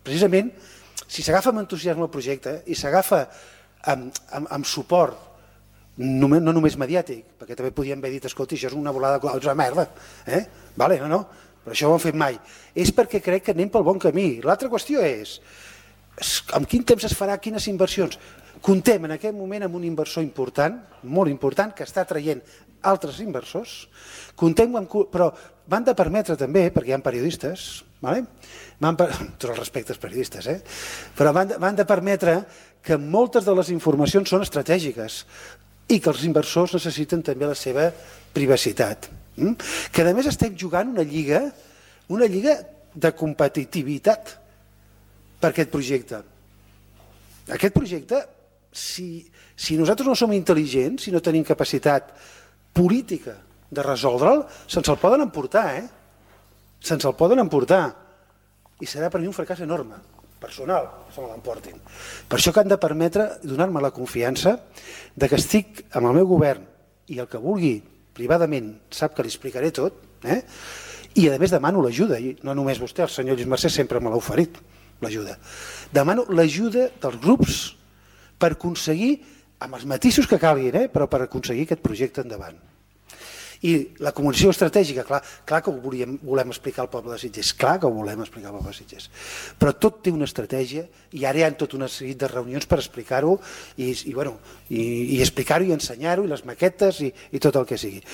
Precisament, si s'agafa amb entusiasme el projecte i s'agafa amb suport, no només mediàtic, perquè també podíem haver dit, escolti, això és una volada de merda, vale, no, però això ho han fet mai. És perquè crec que anem pel bon camí. L'altra qüestió és, amb quin temps es farà, quines inversions? Comptem en aquest moment amb un inversor important, molt important, que està traient altres inversors, però van de permetre també, perquè hi ha periodistes, tots els respectes periodistes, però van de permetre que moltes de les informacions són estratègiques i que els inversors necessiten també la seva privacitat. Que a més estem jugant una lliga de competitivitat per aquest projecte. Aquest projecte, si nosaltres no som intel·ligents, si no tenim capacitat política de resoldre'l, se'ns el poden emportar, se'ns el poden emportar. I serà per mi un fracàs enorme, personal, se me l'emportin. Per això que han de permetre donar-me la confiança de que estic amb el meu govern i el que vulgui privadament sap que li explicaré tot, i a més demano l'ajuda, i no només vostè, el senyor Lluís Mercè sempre me l'ha oferit, l'ajuda. Demano l'ajuda dels grups per aconseguir, amb els matisos que calguin, però per aconseguir aquest projecte endavant. I la comunicació estratègica, clar que ho volem explicar al poble de Sitges, clar que ho volem explicar al poble de Sitges, però tot té una estratègia i ara hi ha tot una sèrie de reunions per explicar-ho i explicar-ho i ensenyar-ho i les maquetes i tot el que sigui.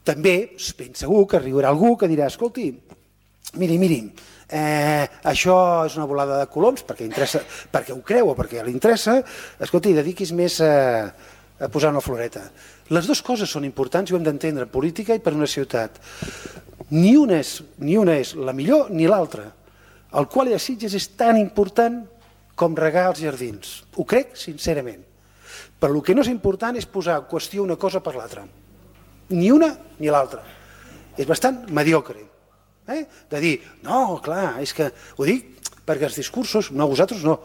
També ben segur que arribarà algú que dirà, escolti, miri, això és una volada de coloms perquè ho creu o perquè li interessa, escolti, dediquis més a posar una floreta. Les dues coses són importants i ho hem d'entendre en política i per una ciutat. Ni una és la millor ni l'altra. El Qualia de Sitges és tan important com regar els jardins. Ho crec sincerament. Però el que no és important és posar en qüestió una cosa per l'altra. Ni una ni l'altra. És bastant mediocre. De dir, no, clar, és que ho dic perquè els discursos, no, vosaltres no,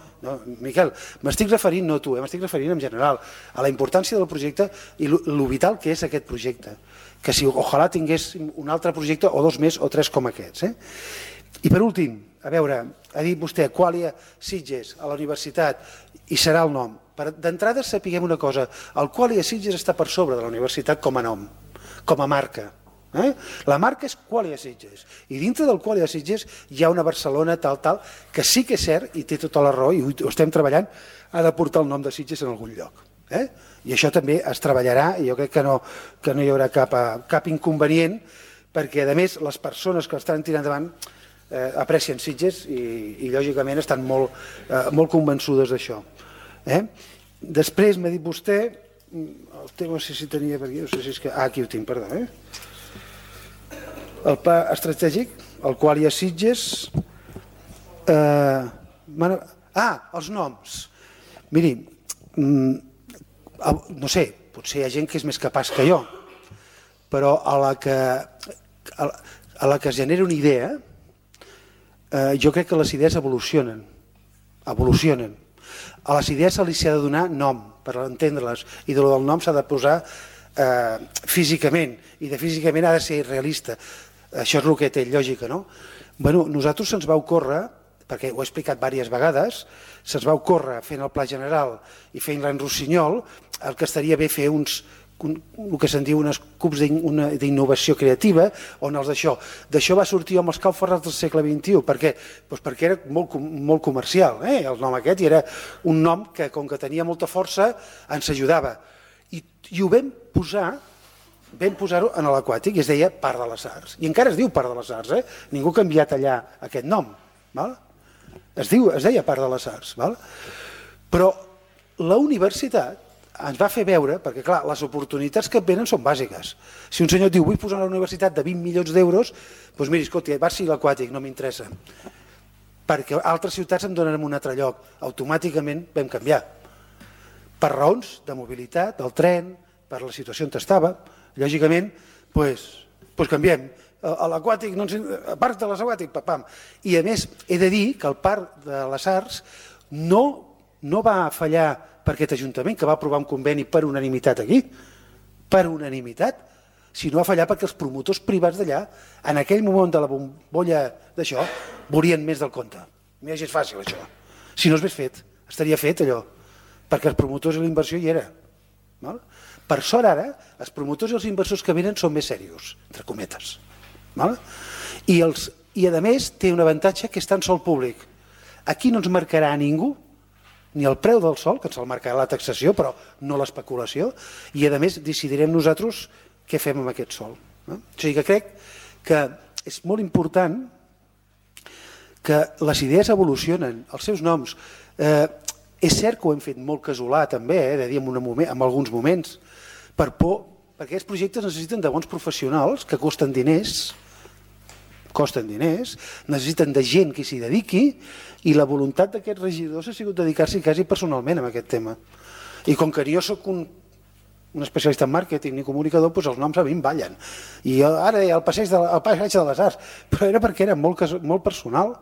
Miquel, m'estic referint, no tu, m'estic referint en general a la importància del projecte i lo vital que és aquest projecte, que si ojalà tingués un altre projecte o dos més o tres com aquests. I per últim, a veure, ha dit vostè Qualia Sitges a la universitat i serà el nom. D'entrada sapiguem una cosa, el Qualia Sitges està per sobre de la universitat com a nom, com a marca. La marca és Qualia Sitges i dintre del Qualia Sitges hi ha una Barcelona tal que sí que és cert i té tota la raó i ho estem treballant, ha de portar el nom de Sitges en algun lloc i això també es treballarà i jo crec que no hi haurà cap inconvenient perquè a més les persones que estan tirant endavant aprecien Sitges i lògicament estan molt convençudes d'això. Després m'ha dit vostè el tema, no sé si tenia per aquí, no sé si és que... aquí ho tinc, perdó, el pla estratègic, el Qualia Sitges... els noms. Miri, no sé, potser hi ha gent que és més capaç que jo, però a la que es genera una idea, jo crec que les idees evolucionen. A les idees se li ha de donar nom per entendre-les i del nom s'ha de posar físicament i de físicament ha de ser realista. Això és el que té lògica, no? Nosaltres se'ns va ocórrer, perquè ho he explicat diverses vegades, se'ns va ocórrer fent el pla general i fent l'en Rossinyol, el que estaria bé fer uns el que se'n diu uns cubs d'innovació creativa, on d'això va sortir amb els Calferrats del segle XXI. Per què? Doncs perquè era molt comercial, el nom aquest, i era un nom que, com que tenia molta força, ens ajudava. I ho vam posar-ho en l'aquàtic, i es deia Parc de les Arts. I encara es diu Parc de les Arts, ningú ha canviat allà aquest nom. Es deia Parc de les Arts. Però la universitat ens va fer veure, perquè clar, les oportunitats que et venen són bàsiques. Si un senyor diu, vull posar una universitat de 20 milions d'euros, doncs miri, escolta, va ser l'aquàtic, no m'interessa. Perquè altres ciutats em donen un altre lloc. Automàticament vam canviar. Per raons de mobilitat, del tren, per la situació on estava, lògicament, doncs canviem. A l'aquàtic, a Parc de les Aquàtic, papam. I a més, he de dir que el Parc de les Arts no va fallar per aquest Ajuntament, que va aprovar un conveni per unanimitat aquí, per unanimitat, sinó va fallar perquè els promotors privats d'allà, en aquell moment de la bombolla d'això, volien més del compte. Mira, és fàcil, això. Si no s'hagués fet, estaria fet allò, perquè els promotors i la inversió hi era. Per sort ara, els promotors i els inversors que venen són més serios, entre cometes. I a més té un avantatge que és tan sol públic. Aquí no ens marcarà a ningú ni el preu del sol, que ens el marcarà la taxació, però no l'especulació, i a més decidirem nosaltres què fem amb aquest sol. O sigui que crec que és molt important que les idees evolucionen, els seus noms. És cert que ho hem fet molt casolà també, de dir en alguns moments, per por, perquè aquests projectes necessiten de bons professionals que costen diners, necessiten de gent que s'hi dediqui, i la voluntat d'aquests regidors ha sigut dedicar-s'hi quasi personalment a aquest tema. I com que jo soc un especialista en màrqueting i comunicador, doncs els noms a mi em ballen. I ara el passeig de les Arts, però era perquè era molt personal,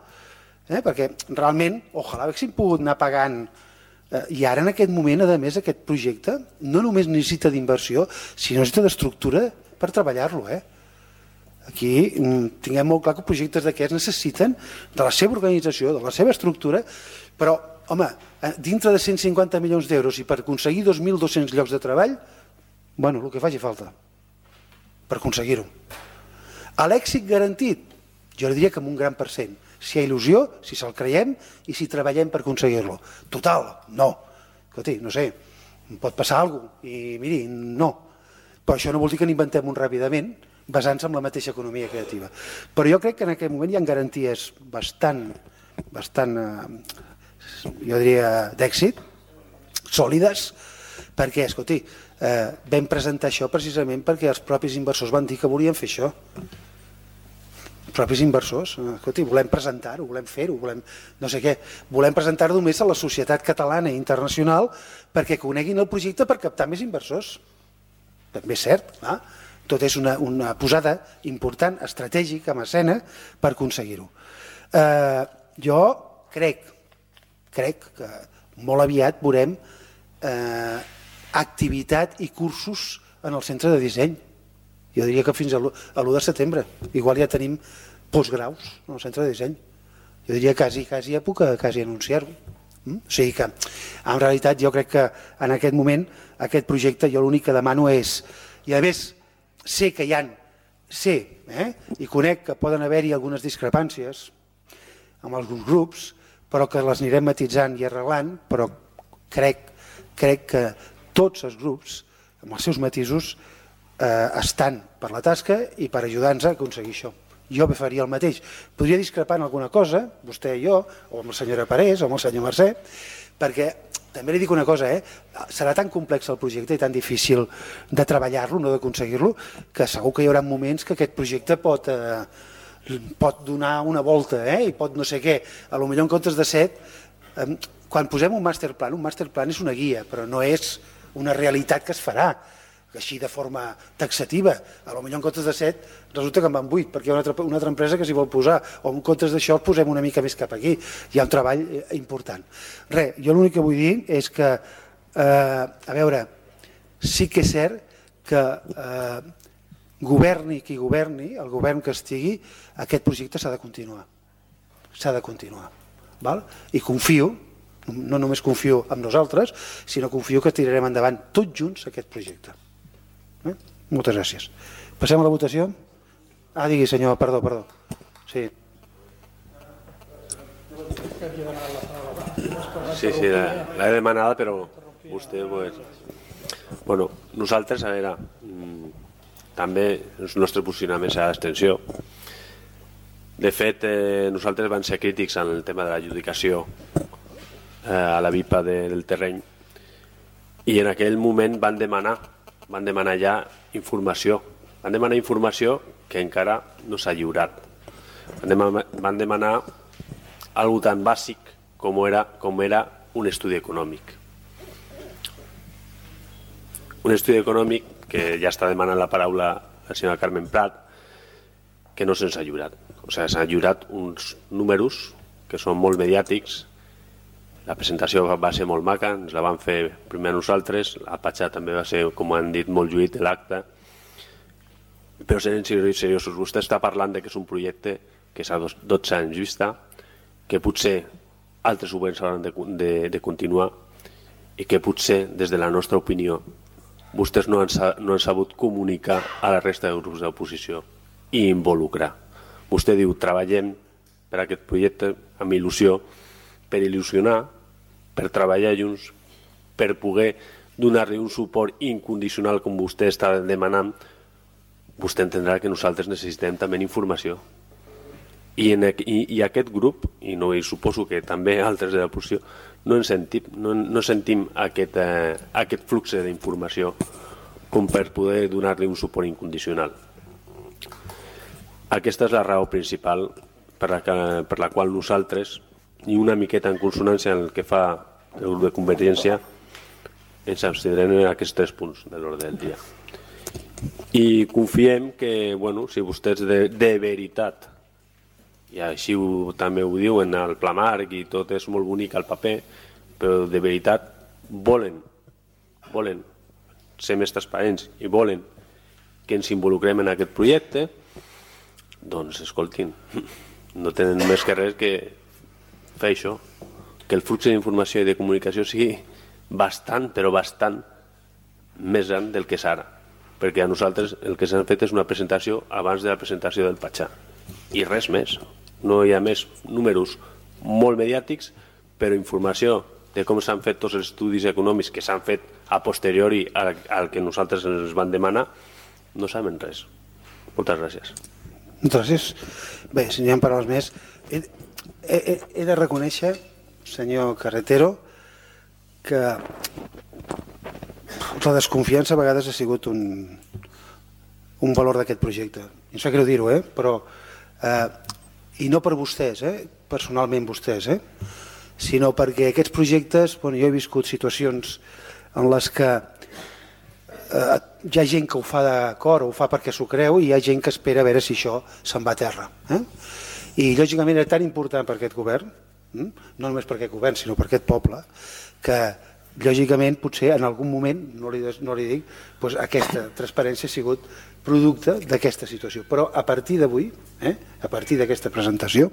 perquè realment, ojalà haguéssim pogut anar pagant. I ara en aquest moment, a més, aquest projecte no només necessita d'inversió, sinó necessita d'estructura per treballar-lo. Aquí tinguem molt clar que projectes d'aquests necessiten de la seva organització, de la seva estructura, però, home, dintre de 150 milions d'euros i per aconseguir 2.200 llocs de treball, bueno, el que faci falta per aconseguir-ho. A l'èxit garantit, jo diria que amb un gran %. Si hi ha il·lusió, si se'l creiem i si treballem per aconseguir-lo. Total, no. Escolti, no sé, pot passar alguna cosa i miri, no. Però això no vol dir que n'inventem un ràpidament basant-se en la mateixa economia creativa. Però jo crec que en aquest moment hi ha garanties bastant, jo diria, d'èxit, sòlides, perquè, escolti, vam presentar això precisament perquè els propis inversors van dir que volien fer això. Els propis inversors, escolti, volem presentar-ho, volem fer-ho, no sé què, volem presentar-ho només a la societat catalana i internacional perquè coneguin el projecte per captar més inversors. També és cert, tot és una posada important, estratègica, en escena, per aconseguir-ho. Jo crec que molt aviat veurem activitat i cursos en el centre de disseny. Jo diria que fins a l'1 de setembre. Igual ja tenim postgraus en el centre de disseny. Jo diria quasi ja puc anunciar-ho. O sigui que, en realitat, jo crec que en aquest moment, aquest projecte, jo l'únic que demano és, i a més, sé que hi ha, i conec que poden haver-hi algunes discrepàncies amb alguns grups, però que les anirem matitzant i arreglant, però crec que tots els grups, amb els seus matisos, estan per la tasca i per ajudar-nos a aconseguir això. Jo faria el mateix. Podria discrepar en alguna cosa, vostè i jo, o amb la senyora Parés, o amb el senyor Mercè, perquè també li dic una cosa, serà tan complex el projecte i tan difícil de treballar-lo, no d'aconseguir-lo, que segur que hi haurà moments que aquest projecte pot donar una volta i pot no sé què. Potser en comptes de 7, quan posem un masterplan és una guia, però no és una realitat que es farà així de forma taxativa. Potser en comptes de 7 resulta que en van 8 perquè hi ha una altra empresa que s'hi vol posar, o en comptes d'això el posem una mica més cap aquí. Hi ha un treball important. Res, jo l'únic que vull dir és que, a veure, sí que és cert que governi qui governi, el govern que estigui, aquest projecte s'ha de continuar. S'ha de continuar. I confio, no només confio en nosaltres, sinó confio que tirarem endavant tots junts aquest projecte. Moltes gràcies. Passem a la votació? Digui, senyor, perdó. Sí. Sí, l'he demanada, però vostè... Bueno, nosaltres, a veure, també el nostre posicionament serà d'abstenció. De fet, nosaltres vam ser crítics en el tema de l'adjudicació a la VIPA del terreny i en aquell moment van demanar ja informació. Van demanar informació que encara no s'ha lliurat. Van demanar algo tan bàsic com era un estudi econòmic. Un estudi econòmic que ja està demanant la paraula la senyora Carmen Prat, que no se'ns ha lliurat. O sigui, s'han lliurat uns números que són molt mediàtics. La presentació va ser molt maca, ens la van fer primer nosaltres, la patxa també va ser, com han dit, molt lluït l'acte. Però sent seriosos, vostè està parlant que és un projecte que és a 12 anys vista, que potser altres governs hauran de continuar i que potser, des de la nostra opinió, vostès no han sabut comunicar a la resta de grups d'oposició i involucrar. Vostè diu, treballem per aquest projecte amb il·lusió, per il·lusionar, per treballar junts, per poder donar-li un suport incondicional com vostè està demanant. Vostè entendrà que nosaltres necessitem també informació. I aquest grup, i suposo que també altres de l'oposició, no sentim aquest flux d'informació com per poder donar-li un suport incondicional. Aquesta és la raó principal per la qual nosaltres, i una miqueta en consonància amb el que fa el grup de Convergència, ens abstindrem en aquests 3 punts de l'ordre del dia. I confiem que, si vostès de veritat, i així també ho diuen al Pla Marc i tot és molt bonic al paper, però de veritat volen ser més transparents i volen que ens involucrem en aquest projecte, doncs escoltin, no tenen més que res que fer això, que el flux d'informació i de comunicació sigui bastant, però bastant més gran del que és ara, perquè a nosaltres el que s'han fet és una presentació abans de la presentació del Patxà i res més. No hi ha més números molt mediàtics, però informació de com s'han fet tots els estudis econòmics que s'han fet a posteriori al que nosaltres ens van demanar, no sabem res. Moltes gràcies. Moltes gràcies. Bé, si n'hi ha paraules més, he de reconèixer, senyor Carretero, que la desconfiança a vegades ha sigut un valor d'aquest projecte. Em sap greu dir-ho, però... I no per vostès, personalment vostès, sinó perquè aquests projectes, jo he viscut situacions en les que hi ha gent que ho fa d'acord o ho fa perquè s'ho creu i hi ha gent que espera a veure si això se'n va a terra. I lògicament era tan important per aquest govern, no només per aquest govern sinó per aquest poble, que lògicament potser en algun moment, no li dic, aquesta transparència ha sigut producte d'aquesta situació. Però a partir d'avui, a partir d'aquesta presentació,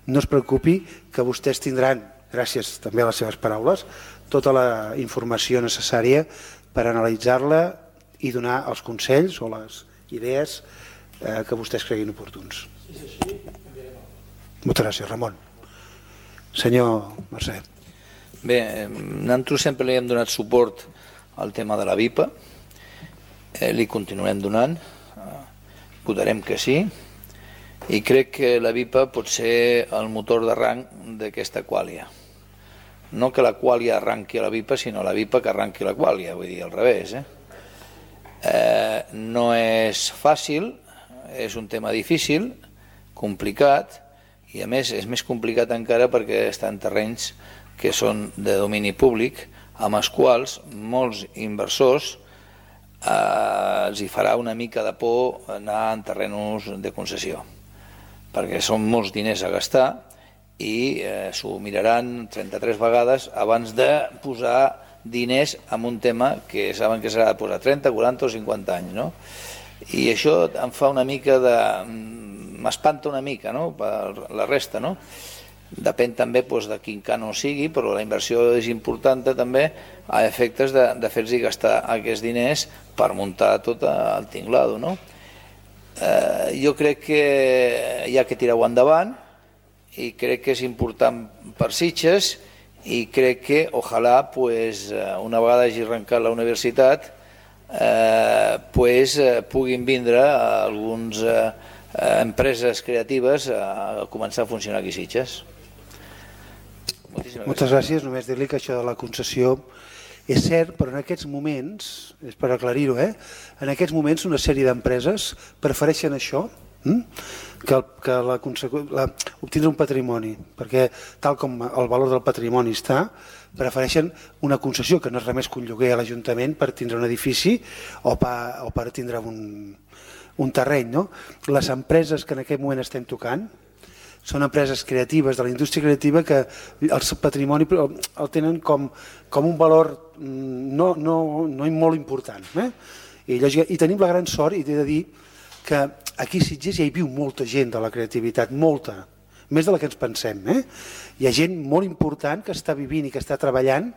no es preocupi que vostès tindran, gràcies també a les seves paraules, tota la informació necessària per analitzar-la i donar els consells o les idees que vostès creguin oportuns. Moltes gràcies, Ramon. Senyor Mercè. Bé, nosaltres sempre li hem donat suport al tema de la VIPA, li continuarem donant, votarem que sí, i crec que la VIPA pot ser el motor d'arranc d'aquesta quàlia. No que la quàlia arranqui a la VIPA, sinó la VIPA que arranqui la quàlia, vull dir, al revés. No és fàcil, és un tema difícil, complicat, i a més és més complicat encara perquè està en terrenys que són de domini públic, amb els quals molts inversors els hi farà una mica de por anar en terrenys de concessió, perquè són molts diners a gastar i s'ho miraran 33 vegades abans de posar diners en un tema que saben que s'ha de posar 30, 40 o 50 anys, no? I això em fa una mica de... m'espanta una mica, no?, per la resta, no? Depèn també de quin cànon sigui, però la inversió és important també a efectes de fer-los gastar aquests diners per muntar tot el tinglado, no? Jo crec que hi ha que tirar-ho endavant i crec que és important per Sitges i crec que ojalà una vegada hagi arrencat la universitat puguin vindre algunes empreses creatives a començar a funcionar aquí a Sitges. Moltes gràcies. Només dir-li que això de la concessió és cert, però en aquests moments, és per aclarir-ho, en aquests moments una sèrie d'empreses prefereixen això que obtindre un patrimoni, perquè tal com el valor del patrimoni està, prefereixen una concessió que no és res més que un lloguer a l'Ajuntament per tindre un edifici o per tindre un terreny. No? Les empreses que en aquest moment estem tocant són empreses creatives de la indústria creativa que el patrimoni el tenen com un valor no molt important. I tenim la gran sort, i t'he de dir, que aquí a Sitges ja hi viu molta gent de la creativitat, molta, més de la que ens pensem. Hi ha gent molt important que està vivint i que està treballant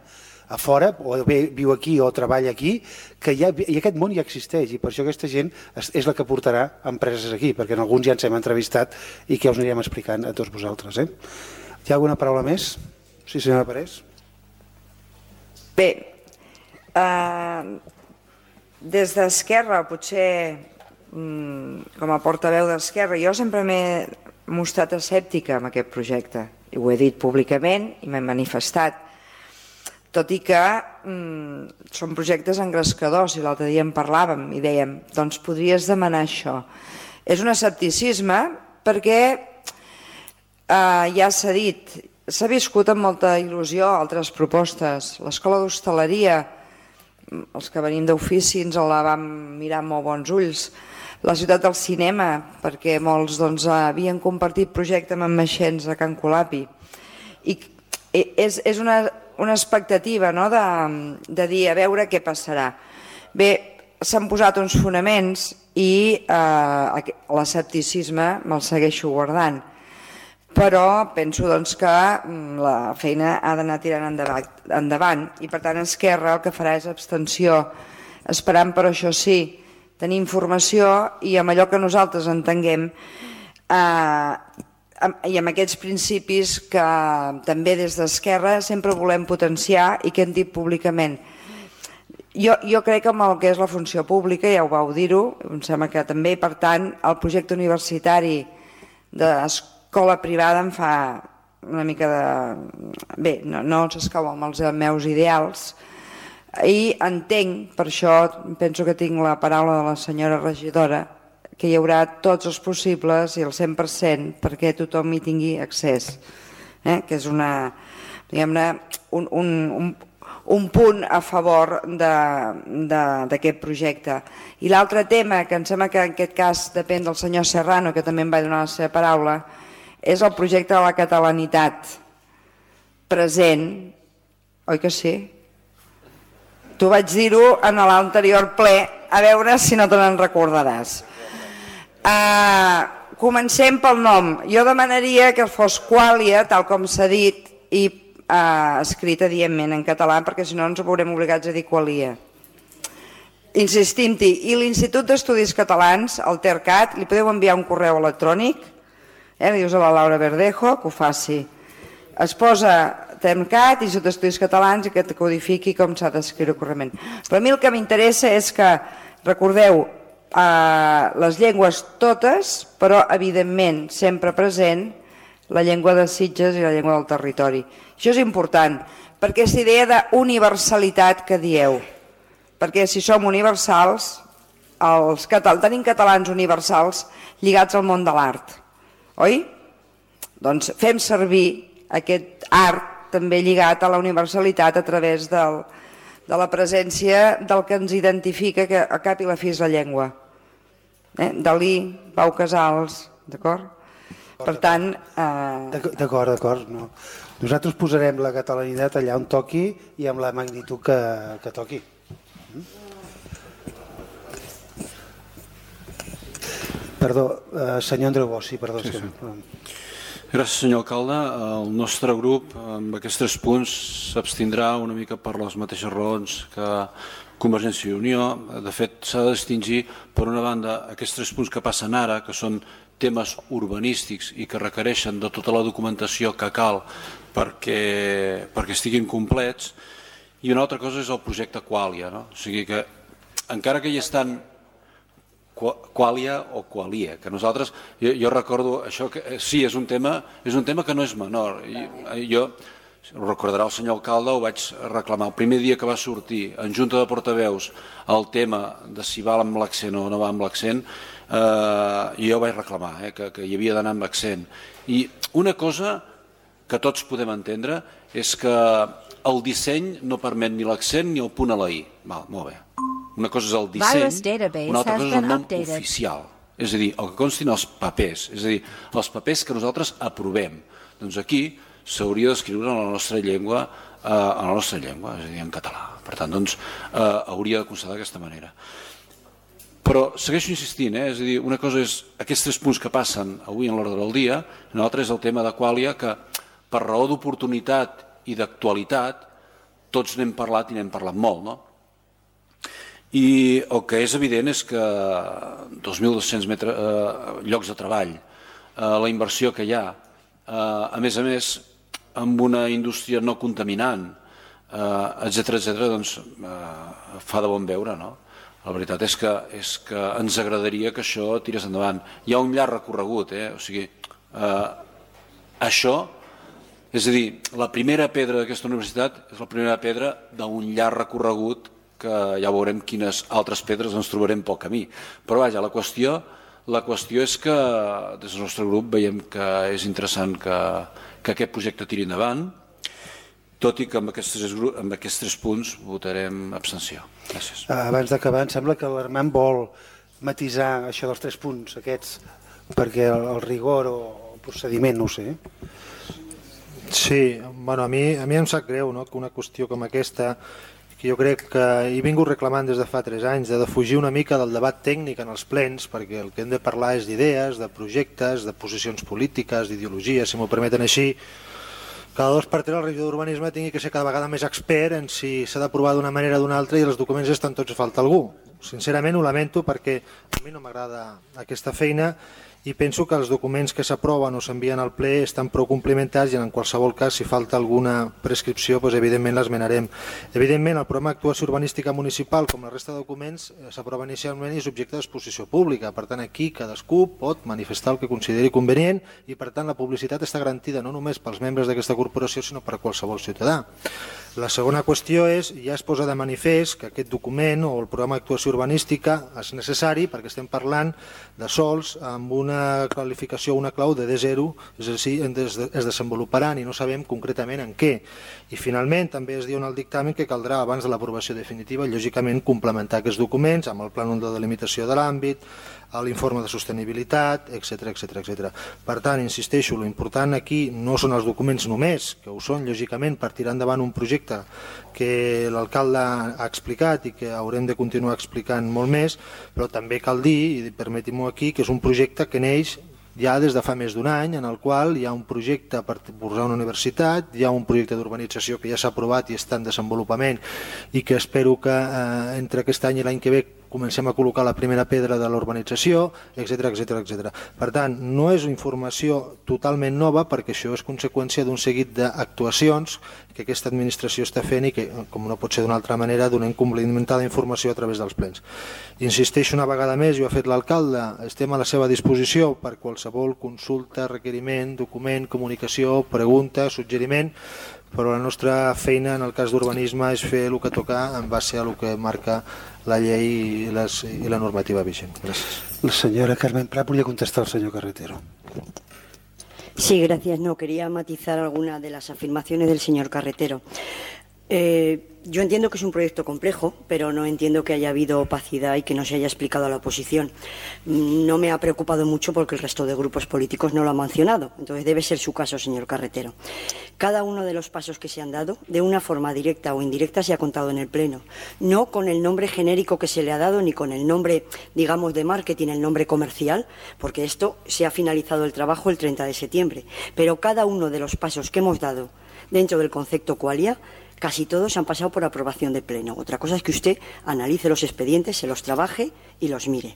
a fora, o bé viu aquí o treballa aquí, i aquest món ja existeix, i per això aquesta gent és la que portarà empreses aquí, perquè en alguns ja ens hem entrevistat i que us anirem explicant a tots vosaltres. Hi ha alguna paraula més? Sí, senyora Parés. Bé, des d'Esquerra, potser com a portaveu d'Esquerra, jo sempre m'he mostrat escèptica amb aquest projecte, i ho he dit públicament i m'he manifestat, tot i que són projectes engrescadors, i l'altre dia en parlàvem i dèiem, doncs podries demanar això. És un escepticisme perquè ja s'ha dit, s'ha viscut amb molta il·lusió altres propostes. L'escola d'hostaleria, els que venim d'ofici ens la vam mirar amb molt bons ulls. La ciutat del cinema, perquè molts havien compartit projecte amb en Maxens a Can Colapi. I és una expectativa de dir a veure què passarà. Bé, s'han posat uns fonaments i l'escepticisme me'l segueixo guardant, però penso que la feina ha d'anar tirant endavant i per tant Esquerra el que farà és abstenció, esperant per això sí tenir informació i amb allò que nosaltres entenguem i amb aquests principis que també des d'Esquerra sempre volem potenciar i que hem dit públicament. Jo crec que amb el que és la funció pública, ja ho vau dir-ho, em sembla que també, per tant, el projecte universitari d'escola privada em fa una mica de... Bé, no s'escau amb els meus ideals i entenc, per això penso que tinc la paraula de la senyora regidora, que hi haurà tots els possibles i el 100% perquè tothom hi tingui accés, que és un punt a favor d'aquest projecte. I l'altre tema, que em sembla que en aquest cas depèn del senyor Serrano, que també em va donar la seva paraula, és el projecte de la catalanitat present, oi que sí? Tu vaig dir-ho en l'anterior ple, a veure si no te n'en recordaràs. Comencem pel nom. Jo demanaria que fos Qualia, tal com s'ha dit, i escrit evidentment en català, perquè si no ens veurem obligats a dir Qualia. Insistim-hi, i l'Institut d'Estudis Catalans, el TERCAT, li podeu enviar un correu electrònic, li dius a la Laura Verdejo que ho faci. Es posa TERCAT, Institut d'Estudis Catalans, i que et codifiqui com s'ha d'escriure correctament. Però a mi el que m'interessa és que, recordeu, les llengües totes, però evidentment sempre present la llengua de Sitges i la llengua del territori. Això és important, perquè és idea d'universalitat que dieu, perquè si som universals, tenim catalans universals lligats al món de l'art, oi? Doncs fem servir aquest art també lligat a la universalitat a través de la presència del que ens identifica, que a cap i la fi és la llengua. Dalí, Pau Casals, d'acord? Per tant... D'acord. Nosaltres posarem la catalanitat allà on toqui i amb la magnitud que toqui. Perdó, senyor Andreu Bosch, sí, perdó. Gràcies, senyor alcalde. El nostre grup, amb aquests 3 punts, s'abstindrà una mica per les mateixes raons que Convergència i Unió. De fet, s'ha de distingir, per una banda, aquests 3 punts que passen ara, que són temes urbanístics i que requereixen de tota la documentació que cal perquè estiguin complets, i una altra cosa és el projecte Qualia. O sigui que, encara que hi estan Qualia o Qualia, que nosaltres, jo recordo això, que sí, és un tema que no és menor. Jo, ho recordarà el senyor alcalde, ho vaig reclamar el primer dia que va sortir en Junta de Portaveus el tema de si va amb l'accent o no va amb l'accent, i jo vaig reclamar que hi havia d'anar amb accent. I una cosa que tots podem entendre és que el disseny no permet ni l'accent ni el punt a la I. Molt bé. Una cosa és el disseny, una altra cosa és el nom oficial. És a dir, el que constin els papers, és a dir, els papers que nosaltres aprovem. Doncs aquí s'hauria d'escriure en la nostra llengua, és a dir, en català. Per tant, doncs, hauria de constar d'aquesta manera. Però segueixo insistint, és a dir, una cosa és aquests 3 punts que passen avui en l'ordre del dia, una altra és el tema de Qualia, que per raó d'oportunitat i d'actualitat tots n'hem parlat i n'hem parlat molt, no? I el que és evident és que 2.200 llocs de treball, la inversió que hi ha, a més, amb una indústria no contaminant, etcètera, doncs fa de bon veure, no? La veritat és que ens agradaria que això tirés endavant. Hi ha un llarg recorregut, o sigui, això, és a dir, la primera pedra d'aquesta universitat és la primera pedra d'un llarg recorregut que ja veurem quines altres pedres ens trobarem pel camí. Però vaja, la qüestió és que des del nostre grup veiem que és interessant que aquest projecte tiri endavant, tot i que amb aquests 3 punts votarem abstenció. Gràcies. Abans d'acabar, em sembla que l'Armand vol matisar això dels 3 punts aquests, perquè el rigor o el procediment, no ho sé. Sí, bueno, a mi em sap greu que una qüestió com aquesta, que jo crec que he vingut reclamant des de fa 3 anys, de defugir una mica del debat tècnic en els plens, perquè el que hem de parlar és d'idees, de projectes, de posicions polítiques, d'ideologies, si m'ho permeten així. Cada 2 per 3 el regidor d'Urbanisme tingui que ser cada vegada més expert en si s'ha d'aprovar d'una manera o d'una altra i els documents estan tots a falta algú. Sincerament ho lamento perquè a mi no m'agrada aquesta feina i penso que els documents que s'aproven o s'envien al ple estan prou complementats i en qualsevol cas si falta alguna prescripció doncs evidentment l'esmenarem. Evidentment el programa d'actuació urbanística municipal com la resta de documents s'aprova inicialment i és objecte d'exposició pública, per tant aquí cadascú pot manifestar el que consideri convenient i per tant la publicitat està garantida no només pels membres d'aquesta corporació sinó per qualsevol ciutadà. La segona qüestió és, ja es posa de manifest que aquest document o el programa d'actuació urbanística és necessari perquè estem parlant de sols amb una qualificació, una clau de D0, és a dir, es desenvoluparan i no sabem concretament en què. I finalment també es diu en el dictamen que caldrà abans de l'aprovació definitiva lògicament complementar aquests documents amb el plànol de delimitació de l'àmbit, l'informe de sostenibilitat, etc. Per tant, insisteixo, l'important aquí no són els documents només, que ho són lògicament per tirar endavant un projecte que l'alcalde ha explicat i que haurem de continuar explicant molt més, però també cal dir, i permetim-ho aquí, que és un projecte que neix ja des de fa més d'un any, en el qual hi ha un projecte per posar una universitat, hi ha un projecte d'urbanització que ja s'ha aprovat i està en desenvolupament i que espero que entre aquest any i l'any que ve comencem a col·locar la primera pedra de la urbanització, etc. Per tant, no és informació totalment nova perquè això és conseqüència d'un seguit d'actuacions que aquesta administració està fent i que, com no pot ser d'una altra manera, donem complementada informació a través dels plens. Insisteixo una vegada més, i ho ha fet l'alcalde, estem a la seva disposició per qualsevol consulta, requeriment, document, comunicació, pregunta, suggeriment, però la nostra feina en el cas d'urbanisme és fer el que toca en base a el que marca la llei i la normativa vigent. Gràcies. La señora Carmen Prat volia contestar al señor Carretero. Sí, gracias. No, quería matizar alguna de las afirmaciones del señor Carretero. Yo entiendo que es un proyecto complejo, pero no entiendo que haya habido opacidad y que no se haya explicado a la oposición. No me ha preocupado mucho porque el resto de grupos políticos no lo han mencionado. Entonces debe ser su caso, señor Carretero. Cada uno de los pasos que se han dado, de una forma directa o indirecta, se ha contado en el Pleno. No con el nombre genérico que se le ha dado, ni con el nombre, digamos, de marketing, el nombre comercial, porque esto se ha finalizado el trabajo el 30 de septiembre. Pero cada uno de los pasos que hemos dado dentro del concepto Qualia, casi todos han pasado por aprobación de Pleno. Otra cosa es que usted analice los expedientes, se los trabaje y los mire.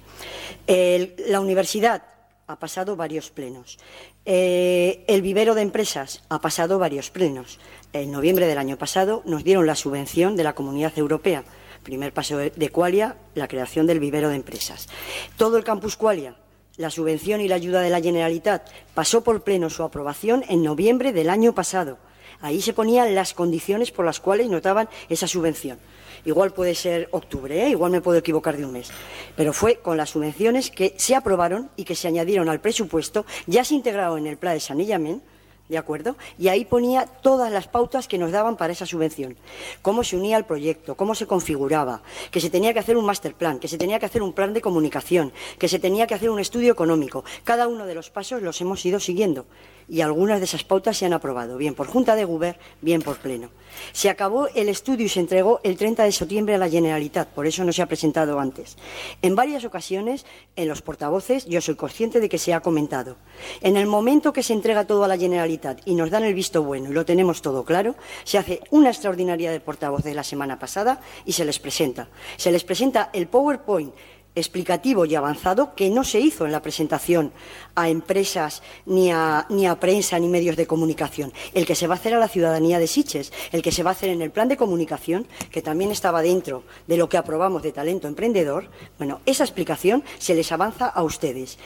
La universidad ha pasado varios plenos. El vivero de empresas ha pasado varios plenos. En noviembre del año pasado nos dieron la subvención de la Comunidad Europea. Primer paso de Qualia, la creación del vivero de empresas. Todo el campus Qualia, la subvención y la ayuda de la Generalitat, pasó por Pleno su aprobación en noviembre del año pasado. Ahí se ponían las condiciones por las cuales nos daban esa subvención. Igual puede ser octubre, igual me puedo equivocar de un mes. Pero fue con las subvenciones que se aprobaron y que se añadieron al presupuesto, ya se integraron en el plan de saneamiento, ¿de acuerdo? Y ahí ponía todas las pautas que nos daban para esa subvención. Cómo se unía al proyecto, cómo se configuraba, que se tenía que hacer un master plan, que se tenía que hacer un plan de comunicación, que se tenía que hacer un estudio económico. Cada uno de los pasos los hemos ido siguiendo. Y algunas de esas pautas se han aprobado, bien por Junta de Govern, bien por Pleno. Se acabó el estudio y se entregó el 30 de septiembre a la Generalitat, por eso no se ha presentado antes. En varias ocasiones, en los portavoces, yo soy consciente de que se ha comentado. En el momento que se entrega todo a la Generalitat y nos dan el visto bueno y lo tenemos todo claro, se hace una extraordinaria de portavoces la semana pasada y se les presenta. Se les presenta el PowerPoint explicativo y avanzado que no se hizo en la presentación a empresas, ni a prensa, ni medios de comunicación. El que se va a hacer a la ciudadanía de Sitges, el que se va a hacer en el plan de comunicación, que también estaba dentro de lo que aprobamos de talento emprendedor, bueno, esa explicación se les avanza a ustedes.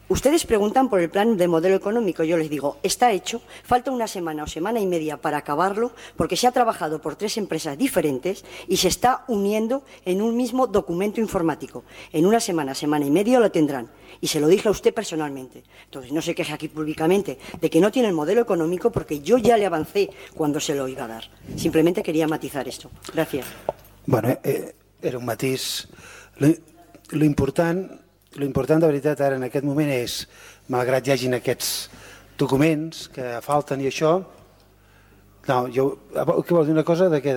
Ustedes preguntan por el plan de modelo económico, yo les digo, está hecho, falta una semana o semana y media para acabarlo, porque se ha trabajado por 3 empresas diferentes y se está uniendo en un mismo documento informático. En una semana, semana y media lo tendrán. Y se lo dije a usted personalmente. Entonces, no se queje aquí públicamente de que no tiene el modelo económico, porque yo ya le avancé cuando se lo iba a dar. Simplemente quería matizar esto. Gracias. Bueno, era un matís. Lo important de veritat ara en aquest moment és, malgrat hi hagin aquests documents que falten i això, no, què vols dir, una cosa de què?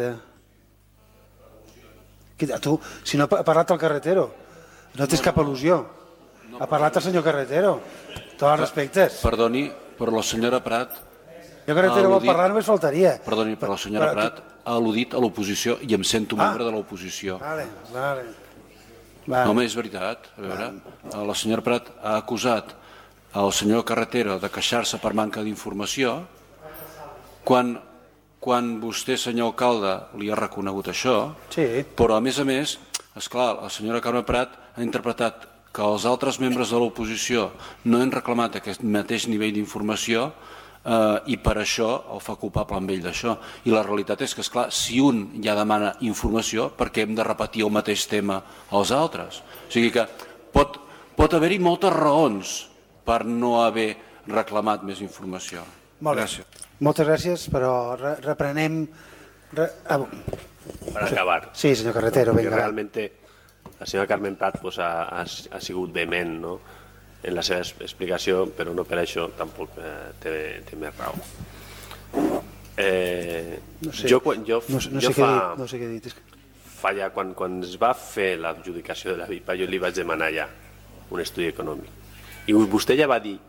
Tu, si no ha parlat el Carretero, no tens cap al·lusió, ha parlat el senyor Carretero, tots els respectes. Perdoni, però la senyora Prat... El Carretero vol parlar, només faltaria. Perdoni, però la senyora Prat ha al·ludit a l'oposició i em sento membre de l'oposició. Vale. No, home, és veritat. A veure, la senyora Prat ha acusat el senyor Carretero de queixar-se per manca d'informació quan vostè, senyor alcalde, li ha reconegut això, però a més, esclar, la senyora Carme Prat ha interpretat que els altres membres de l'oposició no han reclamat aquest mateix nivell d'informació i per això el fa culpable amb ell d'això. I la realitat és que, esclar, si un ja demana informació, per què hem de repetir el mateix tema als altres? O sigui que pot haver-hi moltes raons per no haver reclamat més informació. Molt bé. Moltes gràcies, però reprenem... Per acabar. Sí, senyor Carretero, vinga. Realmente la senyora Carmen Prat ha sigut vehement, no?, en la seva explicació, però no per això tampoc té més raó. No sé què dir. Quan es va fer l'adjudicació de la VIPA, jo li vaig demanar ja un estudi econòmic. I vostè ja va dir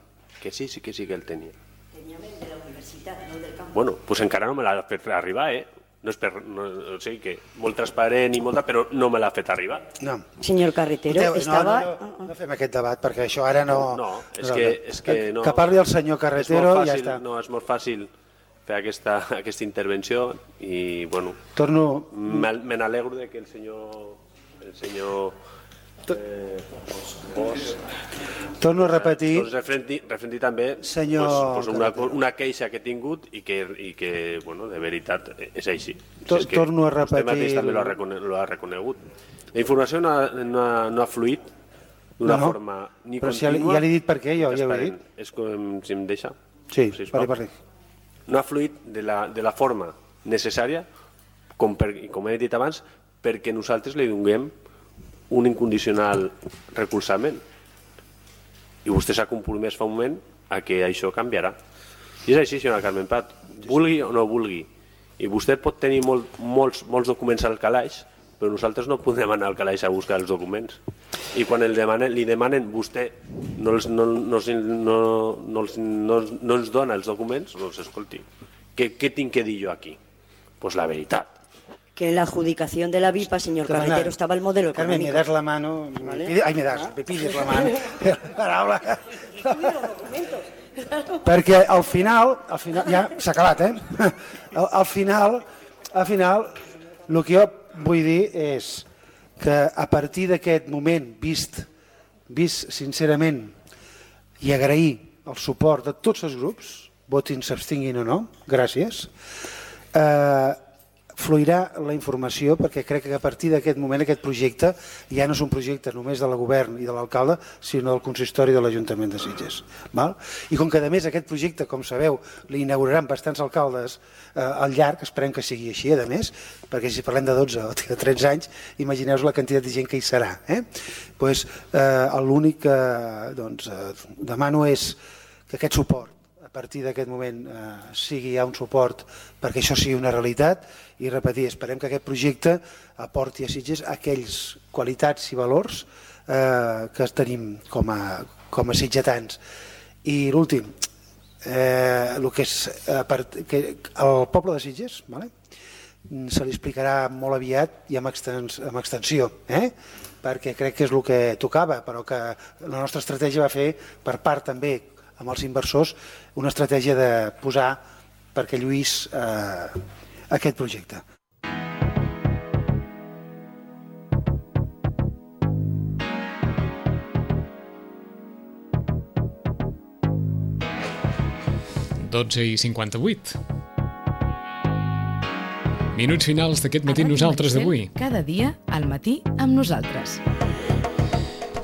que sí que el tenia. Tenia de la universitat, no del campus. Bueno, doncs encara no me l'ha fet arribar, No és o sigui que molt transparent i molta, però no me l'ha fet arribar. No. Senyor Carretero, estava... No fem aquest debat, perquè això ara no... No, és que no... Que parli el senyor Carretero i ja està. No, és molt fàcil fer aquesta intervenció i, bueno... Me n'alegro que el senyor... Torno a repetir... Refrendi també una queixa que he tingut i que, bueno, de veritat és així. Torno a repetir... Vostè mateix també l'ha reconegut. La informació no ha fluït d'una forma ni contínua... Ja l'he dit per què, jo ja ho he dit. És com, si em deixa. Sí, parli. No ha fluït de la forma necessària com he dit abans, perquè nosaltres li donem un incondicional recolzament. I vostè s'ha compromès fa un moment a que això canviarà. I és així, senyora Carmen Prat, vulgui o no vulgui. I vostè pot tenir molts documents al calaix, però nosaltres no podem anar al calaix a buscar els documents. I quan li demanen, vostè no ens dona els documents, doncs escolti, què tinc que dir jo aquí? Pues la veritat. Que en la adjudicación de la VIPA, señor Carretero, estaba el modelo económico. Carmen, me das la mano, ¿vale? Me pides la mano, paraula. Perquè al final, ja s'ha acabat, al final, el que jo vull dir és que a partir d'aquest moment, vist sincerament, i agrair el suport de tots els grups, votin, s'abstinguin o no, gràcies, fluirà la informació, perquè crec que a partir d'aquest moment aquest projecte ja no és un projecte només del govern i de l'alcalde, sinó del consistori de l'Ajuntament de Sitges. I com que a més aquest projecte, com sabeu, l'inauguraran bastants alcaldes al llarg, esperem que sigui així, a més, perquè si parlem de 12 o de 13 anys, imagineu-vos la quantitat de gent que hi serà. L'únic que demano és que aquest suport a partir d'aquest moment sigui ja un suport perquè això sigui una realitat i repetir, esperem que aquest projecte aporti a Sitges aquells qualitats i valors que tenim com a sitgetans. I l'últim, el que és el poble de Sitges se li explicarà molt aviat i amb extensió, perquè crec que és el que tocava, però que la nostra estratègia va fer per part també amb els inversors una estratègia de posar perquè lluís aquest projecte. i 58. Minuts finals d'aquest matí nosaltres d'avui. Cada dia al matí amb nosaltres.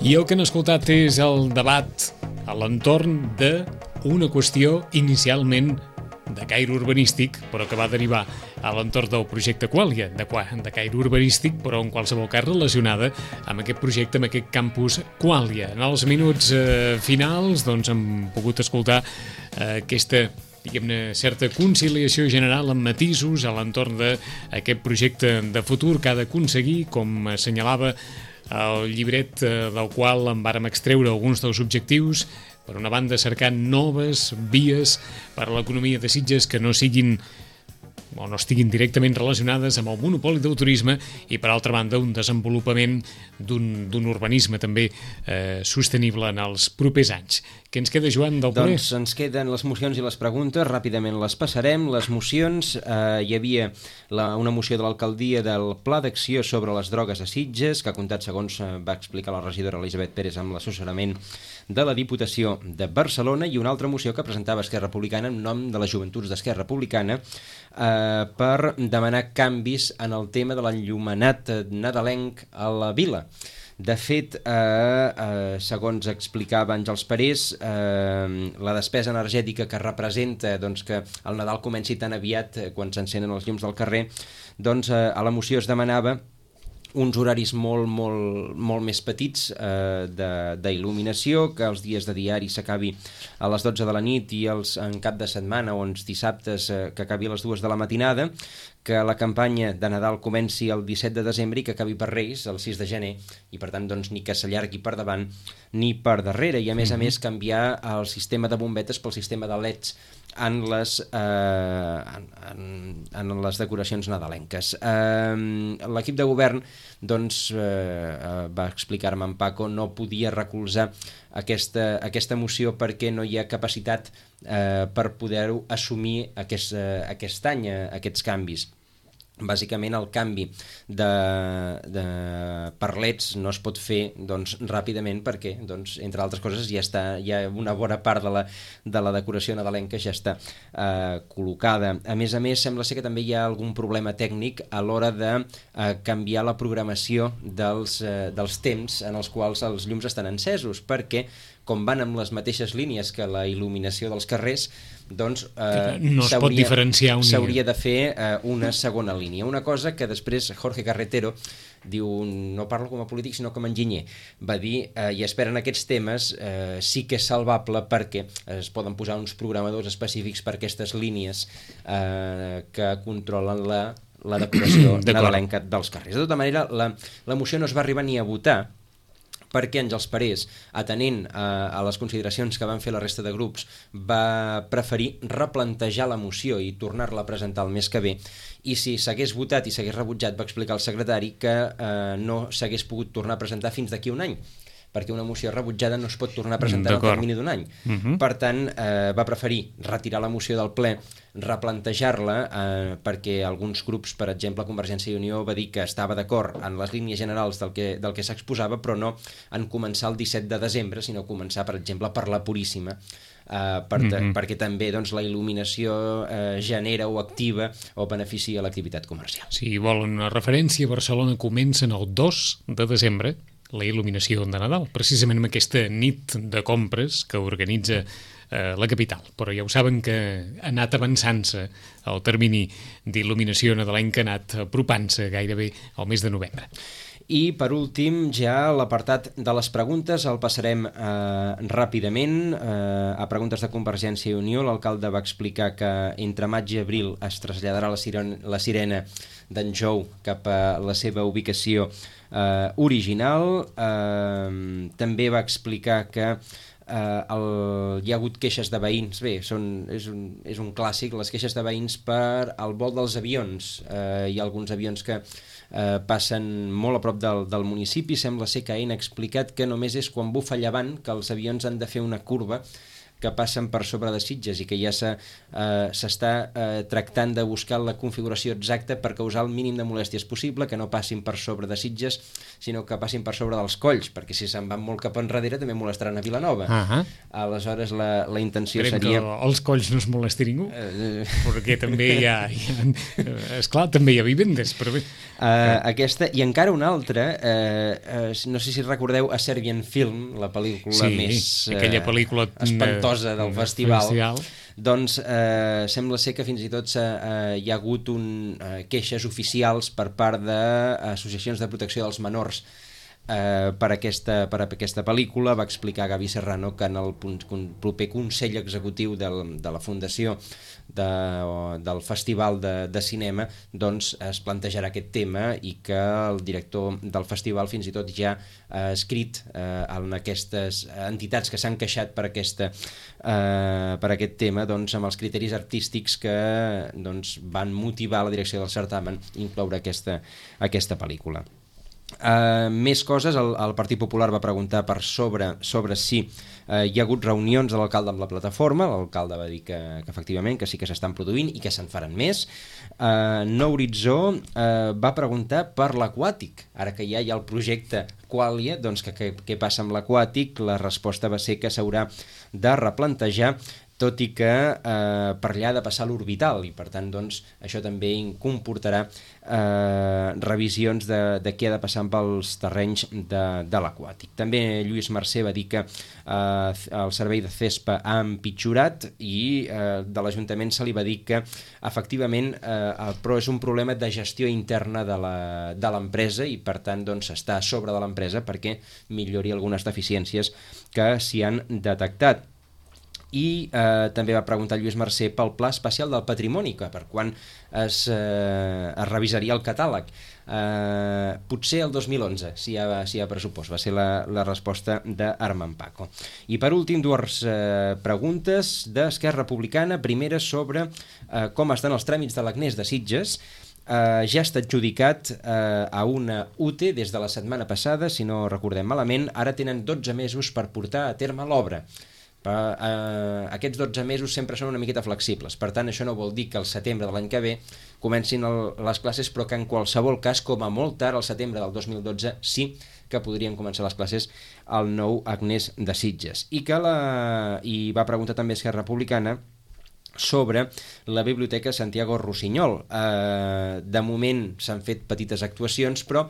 I el que han escoltat és el debat a l'entorn d'una qüestió inicialment de caire urbanístic, però que va derivar a l'entorn del projecte Quàlia, de caire urbanístic, però en qualsevol cas relacionada amb aquest projecte, amb aquest campus Quàlia. En els minuts finals hem pogut escoltar aquesta certa conciliació general amb matisos a l'entorn d'aquest projecte de futur que ha d'aconseguir, com assenyalava el llibret del qual en vàrem extreure alguns dels objectius, per una banda cercant noves vies per a l'economia de Sitges que no siguin o no estiguin directament relacionades amb el monopoli del turisme i, per altra banda, un desenvolupament d'un urbanisme també sostenible en els propers anys. Què ens queda, Joan, del ple? Doncs ens queden les mocions i les preguntes, ràpidament les passarem. Les mocions, hi havia una moció de l'alcaldia del Pla d'Acció sobre les drogues a Sitges, que ha comptat, segons va explicar la regidora Elisabet Pérez, amb l'assessorament de la Diputació de Barcelona, i una altra moció que presentava Esquerra Republicana en nom de les Joventuts d'Esquerra Republicana per demanar canvis en el tema de l'enllumenat nadalenc a la vila. De fet, segons explicava Àngels Parés, la despesa energètica que representa que el Nadal comenci tan aviat quan s'encenen els llums del carrer, a la moció es demanava uns horaris molt més petits d'il·luminació, que els dies de diari s'acabi a les 12 de la nit i en cap de setmana o els dissabtes que acabi a les 2 de la matinada, que la campanya de Nadal comenci el 17 de desembre i que acabi per Reis el 6 de gener, i per tant ni que s'allargui per davant ni per darrere, i a més canviar el sistema de bombetes pel sistema de LEDs en les decoracions nadalenques. L'equip de govern va explicar-me en Paco, no podia recolzar aquesta moció perquè no hi ha capacitat per poder-ho assumir aquest any, aquests canvis. Bàsicament el canvi per LEDs no es pot fer ràpidament perquè, entre altres coses, ja una bona part de la decoració nadalenca ja està col·locada. A més, sembla ser que també hi ha algun problema tècnic a l'hora de canviar la programació dels temps en els quals els llums estan encesos, perquè com van amb les mateixes línies que la il·luminació dels carrers, doncs no es pot diferenciar un s'hauria de fer una segona línia. Una cosa que després Jorge Carretero diu, no parlo com a polític sinó com a enginyer, va dir i espera en aquests temes sí que és salvable perquè es poden posar uns programadors específics per aquestes línies que controlen la decoració nadalenca dels carrers. De tota manera, la moció no es va arribar ni a votar perquè Àngels Parés, atenent a les consideracions que van fer la resta de grups, va preferir replantejar la moció i tornar-la a presentar el mes que ve, i si s'hagués votat i s'hagués rebutjat va explicar al secretari que no s'hagués pogut tornar a presentar fins d'aquí un any, perquè una moció rebutjada no es pot tornar a presentar en el termini d'un any. Per tant, va preferir retirar la moció del ple, replantejar-la, perquè alguns grups, per exemple Convergència i Unió, va dir que estava d'acord en les línies generals del que s'exposava, però no en començar el 17 de desembre, sinó començar, per exemple, per la Puríssima, perquè també doncs, la il·luminació genera o activa o beneficia l'activitat comercial. Si volen una referència, Barcelona comença el 2 de desembre, la il·luminació de Nadal, precisament amb aquesta nit de compres que organitza la capital. Però ja ho saben que ha anat avançant-se el termini d'il·luminació nadalenca, ha anat apropant-se gairebé al mes de novembre. I per últim ja l'apartat de les preguntes el passarem ràpidament a preguntes de Convergència i Unió. L'alcalde va explicar que entre maig i abril es traslladarà la sirena d'en Jou cap a la seva ubicació original. També va explicar que hi ha hagut queixes de veïns. Bé, és un clàssic, les queixes de veïns per al vol dels avions. Hi ha alguns avions que passen molt a prop del municipi. Sembla ser que AENA ha explicat que només és quan bufa llevant que els avions han de fer una curva que passen per sobre de Sitges i que ja s'està tractant de buscar la configuració exacta per causar el mínim de molèsties possible, que no passin per sobre de Sitges, sinó que passin per sobre dels colls, perquè si se'n van molt cap enrere també molestaran a Vilanova. Aleshores la intenció seria... Esperem que els colls no es molesti ningú, perquè també hi ha... Esclar, també hi ha vivendes, però bé... Aquesta, i encara una altra, no sé si recordeu A Serbian Film, la pel·lícula més aquella espantosa del festival. Doncs sembla ser que fins i tot hi ha hagut queixes oficials per part d'associacions de protecció dels menors per aquesta pel·lícula. Va explicar Gavi Serrano que en el proper Consell Executiu de la Fundació del Festival de Cinema doncs es plantejarà aquest tema i que el director del festival fins i tot ja ha escrit en aquestes entitats que s'han queixat per aquest tema doncs, amb els criteris artístics que doncs, van motivar la direcció del certamen incloure aquesta pel·lícula. Més coses, el Partit Popular va preguntar sobre si hi ha hagut reunions de l'alcalde amb la plataforma. L'alcalde va dir que efectivament que sí que s'estan produint i que se'n faran més. Nou Horitzó va preguntar per l'aquàtic, ara que ja hi ha el projecte Qualia, doncs què passa amb l'aquàtic? La resposta va ser que s'haurà de replantejar, tot i que per allà ha de passar l'orbital i per tant doncs, això també comportarà revisions de què ha de passar amb els terrenys de l'aquàtic. També Lluís Mercè va dir que el servei de CESPA ha empitjorat i de l'Ajuntament se li va dir que efectivament però és un problema de gestió interna de l'empresa i per tant doncs, està a sobre de l'empresa perquè millori algunes deficiències que s'hi han detectat. I també va preguntar Lluís Mercè pel Pla Especial del Patrimoni, que per quan es revisaria el catàleg. Potser el 2011, si hi ha pressupost, va ser la resposta d'Armand Paco. I per últim, dues preguntes d'Esquerra Republicana. Primera sobre com estan els tràmits de l'Agnès de Sitges. Ja està adjudicat a una UTE des de la setmana passada, si no recordem malament. Ara tenen 12 mesos per portar a terme l'obra. Aquests 12 mesos sempre són una miqueta flexibles, per tant això no vol dir que al setembre de l'any que ve comencin les classes, però que en qualsevol cas, com a molt tard al setembre del 2012 sí que podrien començar les classes al nou Agnès de Sitges. I va preguntar també Esquerra Republicana sobre la Biblioteca Santiago Rossinyol. De moment s'han fet petites actuacions, però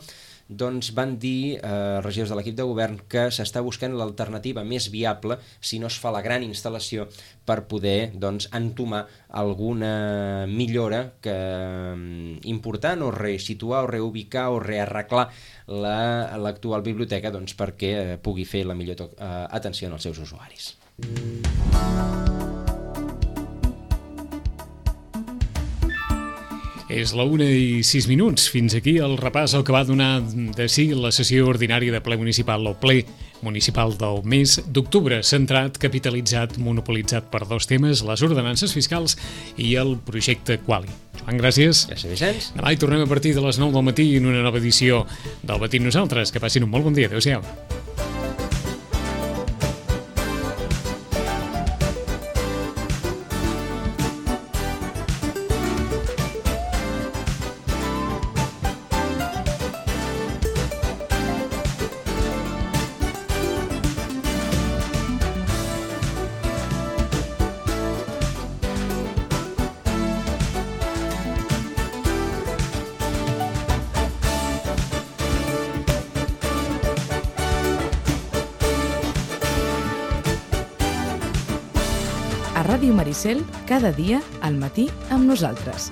doncs van dir regidors de l'equip de govern que s'està buscant l'alternativa més viable si no es fa la gran instal·lació per poder entomar alguna millora important o resituar o reubicar o rearreglar l'actual biblioteca perquè pugui fer la millor atenció als seus usuaris. És la 1:06. Fins aquí el repàs al que va donar de si la sessió ordinària de ple municipal o ple municipal del mes d'octubre, centrat, capitalitzat, monopolitzat per dos temes, les ordenances fiscals i el projecte Quali. Joan, gràcies. Gràcies, Vicenç. Demà hi tornem a partir de les 9 del matí en una nova edició del Matí Nosaltres. Que passin un molt bon dia. Adéu-siau. A Ràdio Maricel, cada dia al matí amb nosaltres.